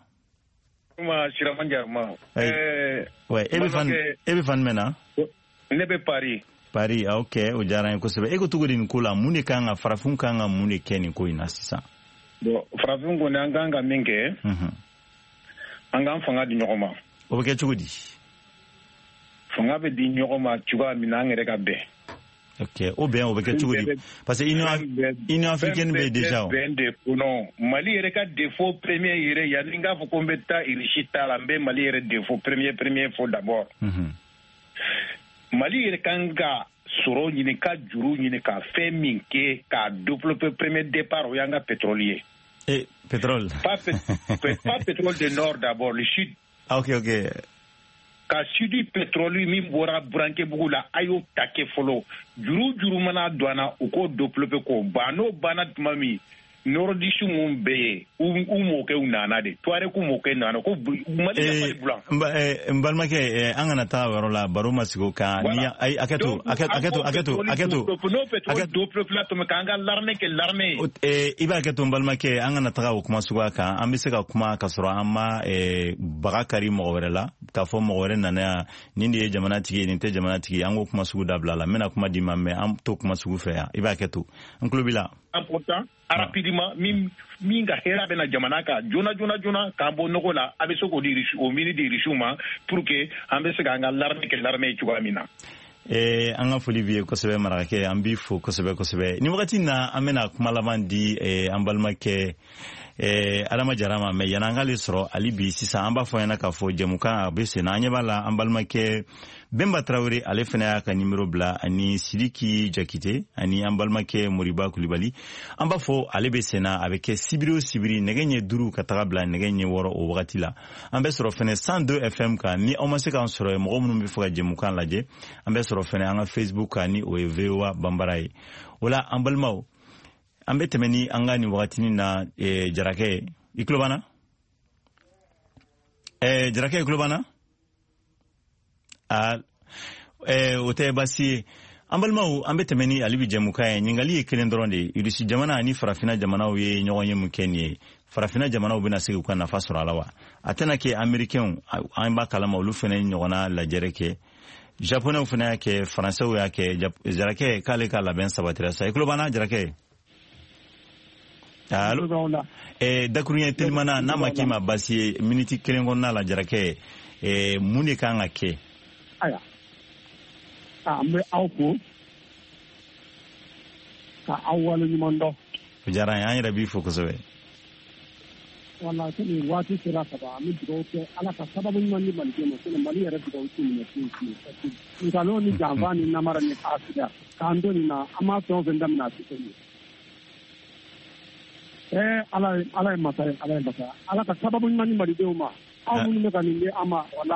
Speaker 20: Kuma Sirama Jaruma.
Speaker 4: Ouais, e bɛ fan e bɛ fan jumɛn na?
Speaker 20: Ne bɛ Paris.
Speaker 4: Paris, ah, ok, o diyara n ye kosɛbɛ. E ko cogo di nin ko la? Mun de kan ka, farafinw kan ka mun de kɛ nin ko in na sisan?
Speaker 20: Bon, farafinw kɔni, an kan ka min kɛ, an k'an fanga di ɲɔgɔn ma.
Speaker 4: O bɛ kɛ cogo di?
Speaker 20: Fanga bɛ di ɲɔgɔn ma cogoya min na, an yɛrɛ ka bɛn.
Speaker 4: Ok, o bɛn, o bɛ kɛ cogo di? Parce que Union africaine bɛ yen déjà o.
Speaker 20: Bɛn de kɔnɔ. Mali yɛrɛ ka défaut premier yɛrɛ, yanni n k'a fɔ ko n bɛ taa Russie ta la, n bɛ Mali yɛrɛ défaut premier fɔ d'abord. Mali yɛrɛ kan ka sɔrɔ ɲini, ka juru ɲini, ka fɛn min kɛ k'a développer premier départ, o y'an ka pétrole ye.
Speaker 4: Eh, pétrole.
Speaker 20: Pas pétrole du nord d'abord, le sud.
Speaker 4: Ah, ok.
Speaker 20: Ka sud pétrole min bɔra Burankebugu la, a y'o ta kɛ fɔlɔ. Juru mana don an na, u k'o développer k'o ban. N'o banna tuma min, nordiste mun bɛ yen, u mɔkɛw nana de, Tuareg mɔkɛ nana ko Mali ka Mali bulan.
Speaker 4: N balimakɛ, an kana taa o yɔrɔ la, baro ma sigi o kan. Ni ayi, hakɛ to, hakɛ to, hakɛ to, hakɛ to.
Speaker 20: N'o pétrole développer la tuma, k'an ka l'armée kɛ l'armée
Speaker 4: ye. I b'a kɛ to, n balimakɛ, an kana taga o kuma suguya kan. An bɛ se ka kuma ka sɔrɔ an ma baga kari mɔgɔ wɛrɛ la, k'a fɔ mɔgɔ wɛrɛ nana yan, nin de ye jamana tigi ye, nin tɛ jamana tigi ye. An k'o kuma sugu dabila la. N bɛna kuma d'i ma, mais an t'o kuma sugu fɛ yan. I b'a kɛ to, n tulo b'i la.
Speaker 20: Important, rapidement, min ka hɛrɛ bɛ na jamana kan joona joona joona, k'an bɔ nɔgɔ la, a bɛ se k'o di, o mini di Rusiw ma, pour que an bɛ se k'an ka l'armée kɛ l'armée ye cogoya min na.
Speaker 4: An ka foli b'i ye kosɛbɛ, marakakɛ, an b'i fo kosɛbɛ kosɛbɛ. Nin wagati na, an bɛna kuma laban di an balimakɛ Adama Jara ma, mais yan'an k'ale sɔrɔ hali bi, sisan an b'a fɔ ɲɛna k'a fɔ jɛmukan a bɛ sen na. An ɲɛ b'a la, an balimakɛ Bɛnba Tarawele, ale fana y'a ka nimero bila, ani Sidiki Jakite, ani an balimakɛ Moriba Kulibali. An b'a fɔ ale bɛ sen na, a bɛ kɛ sibiri o sibiri, nɛgɛ ɲɛ 5 ka taga bila nɛgɛ ɲɛ 6, o wagati la. An bɛ sɔrɔ fɛnɛ 102 FM kan. Ni aw ma se k'an sɔrɔ yen, mɔgɔ minnu bɛ fɛ ka jɛmukan lajɛ, an bɛ sɔrɔ fɛnɛ an ka Facebook kan, ni o ye VOA Banbara ye. O la, an balimaw, an bɛ tɛmɛ ni an ka nin wagatinin na. Jarakɛ, i tulo b'an na? Jarakɛ, i tulo b'an na? Ah, o tɛ baasi ye. An balimaw, an bɛ tɛmɛ ni ale bi jɛmukan ye. Ɲininkali ye kelen dɔrɔn de ye: Irisi jamana ani farafina jamanaw ye ɲɔgɔn ye mun kɛ nin ye? Farafina jamanaw bɛna se k'u ka nafa sɔrɔ a la wa? A tɛna kɛ Américains, an b'a kalama, olu fana ɲɔgɔnna lajɛrɛ kɛ, Japonɛw fana y'a kɛ, Faransɛw y'a kɛ. Jarakɛ k'ale ka labɛn sabatira sa. I tulo b'an na, Jarakɛ? Allo? Dakuruɲɛ telimana, n'a ma k'i ma baasi ye, miniti kelen kɔnɔna la, Jarakɛ, mun de kan ka kɛ?
Speaker 10: Ayiwa, an bɛ aw fo ka aw waleɲuman dɔn.
Speaker 4: O diyara an ye, an yɛrɛ b'i fo kosɛbɛ.
Speaker 10: Wala, komi waati sera ka ban, an bɛ dugawu kɛ, Ala ka sababu ɲuman di Malidenw ma. Sinon Mali yɛrɛ dugawu tɛ minɛ fiyewu fiyewu, parce que nkalon ni janfa ni namara ni hasidiya k'an to nin na, an m'a fɛn o fɛn daminɛ, a tɛ fɛn ye. Ala ye, Ala ye masa ye, Ala ye masa ye. Ala ka sababu ɲuman di Malidenw ma. Aw minnu bɛ ka nin di an ma, wala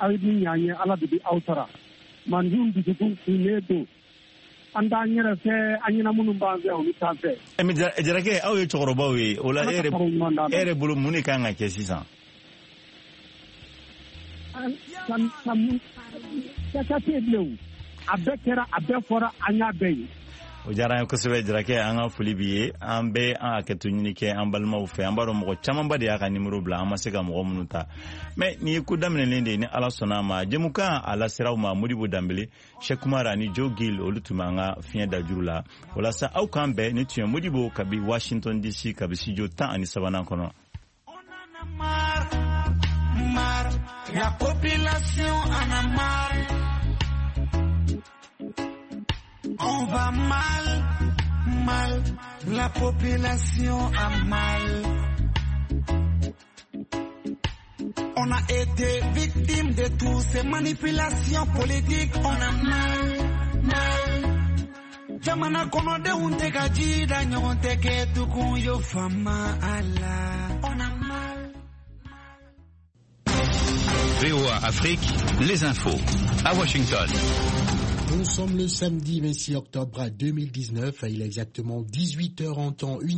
Speaker 10: aw ye min ɲɛ an ye, Ala de bɛ aw sara. Mandenw dusukun kunnen don, an t'an yɛrɛ fɛ, an ɲɛna minnu b'an fɛ, olu t'an fɛ.
Speaker 4: Mais Jarakɛ, aw ye cɛkɔrɔbaw ye o la, e yɛrɛ bolo, mun de kan ka kɛ sisan?
Speaker 10: Kɛta tɛ yen bilen o, a bɛɛ kɛra, a bɛɛ fɔra, an y'a bɛɛ ye.
Speaker 4: O diyara an ye kosɛbɛ, Jarakɛ, an ka foli b'i ye. An bɛ an hakɛto ɲini kɛ an balimaw fɛ. An b'a dɔn mɔgɔ camanba de y'a ka nimero bila, an ma se ka mɔgɔ minnu ta, mais nin ye ko daminɛlen de ye. Ni Ala sɔnna a ma, jɛmukan a lasera aw ma, Modibo Danbele, Cheikh Kumar ani Joe Gill, olu tun b'an ka fiɲɛ dajuru la. Walasa aw k'an bɛn, ni tun ye Modibo kabi Washington DC, kabi studio 13nan kɔnɔ.
Speaker 5: La population en a marre. On va mal, mal, la population a mal. On a été victime de toutes ces manipulations politiques. On a mal, mal. Jamana kɔnɔdenw tɛ ka ji da ɲɔgɔn tɛ kɛ tugun yo fama a la. On a mal.
Speaker 21: VOA Afrique, les infos. À Washington.
Speaker 22: Nous sommes le samedi 26 octobre 2019, il est exactement 18h en temps universel.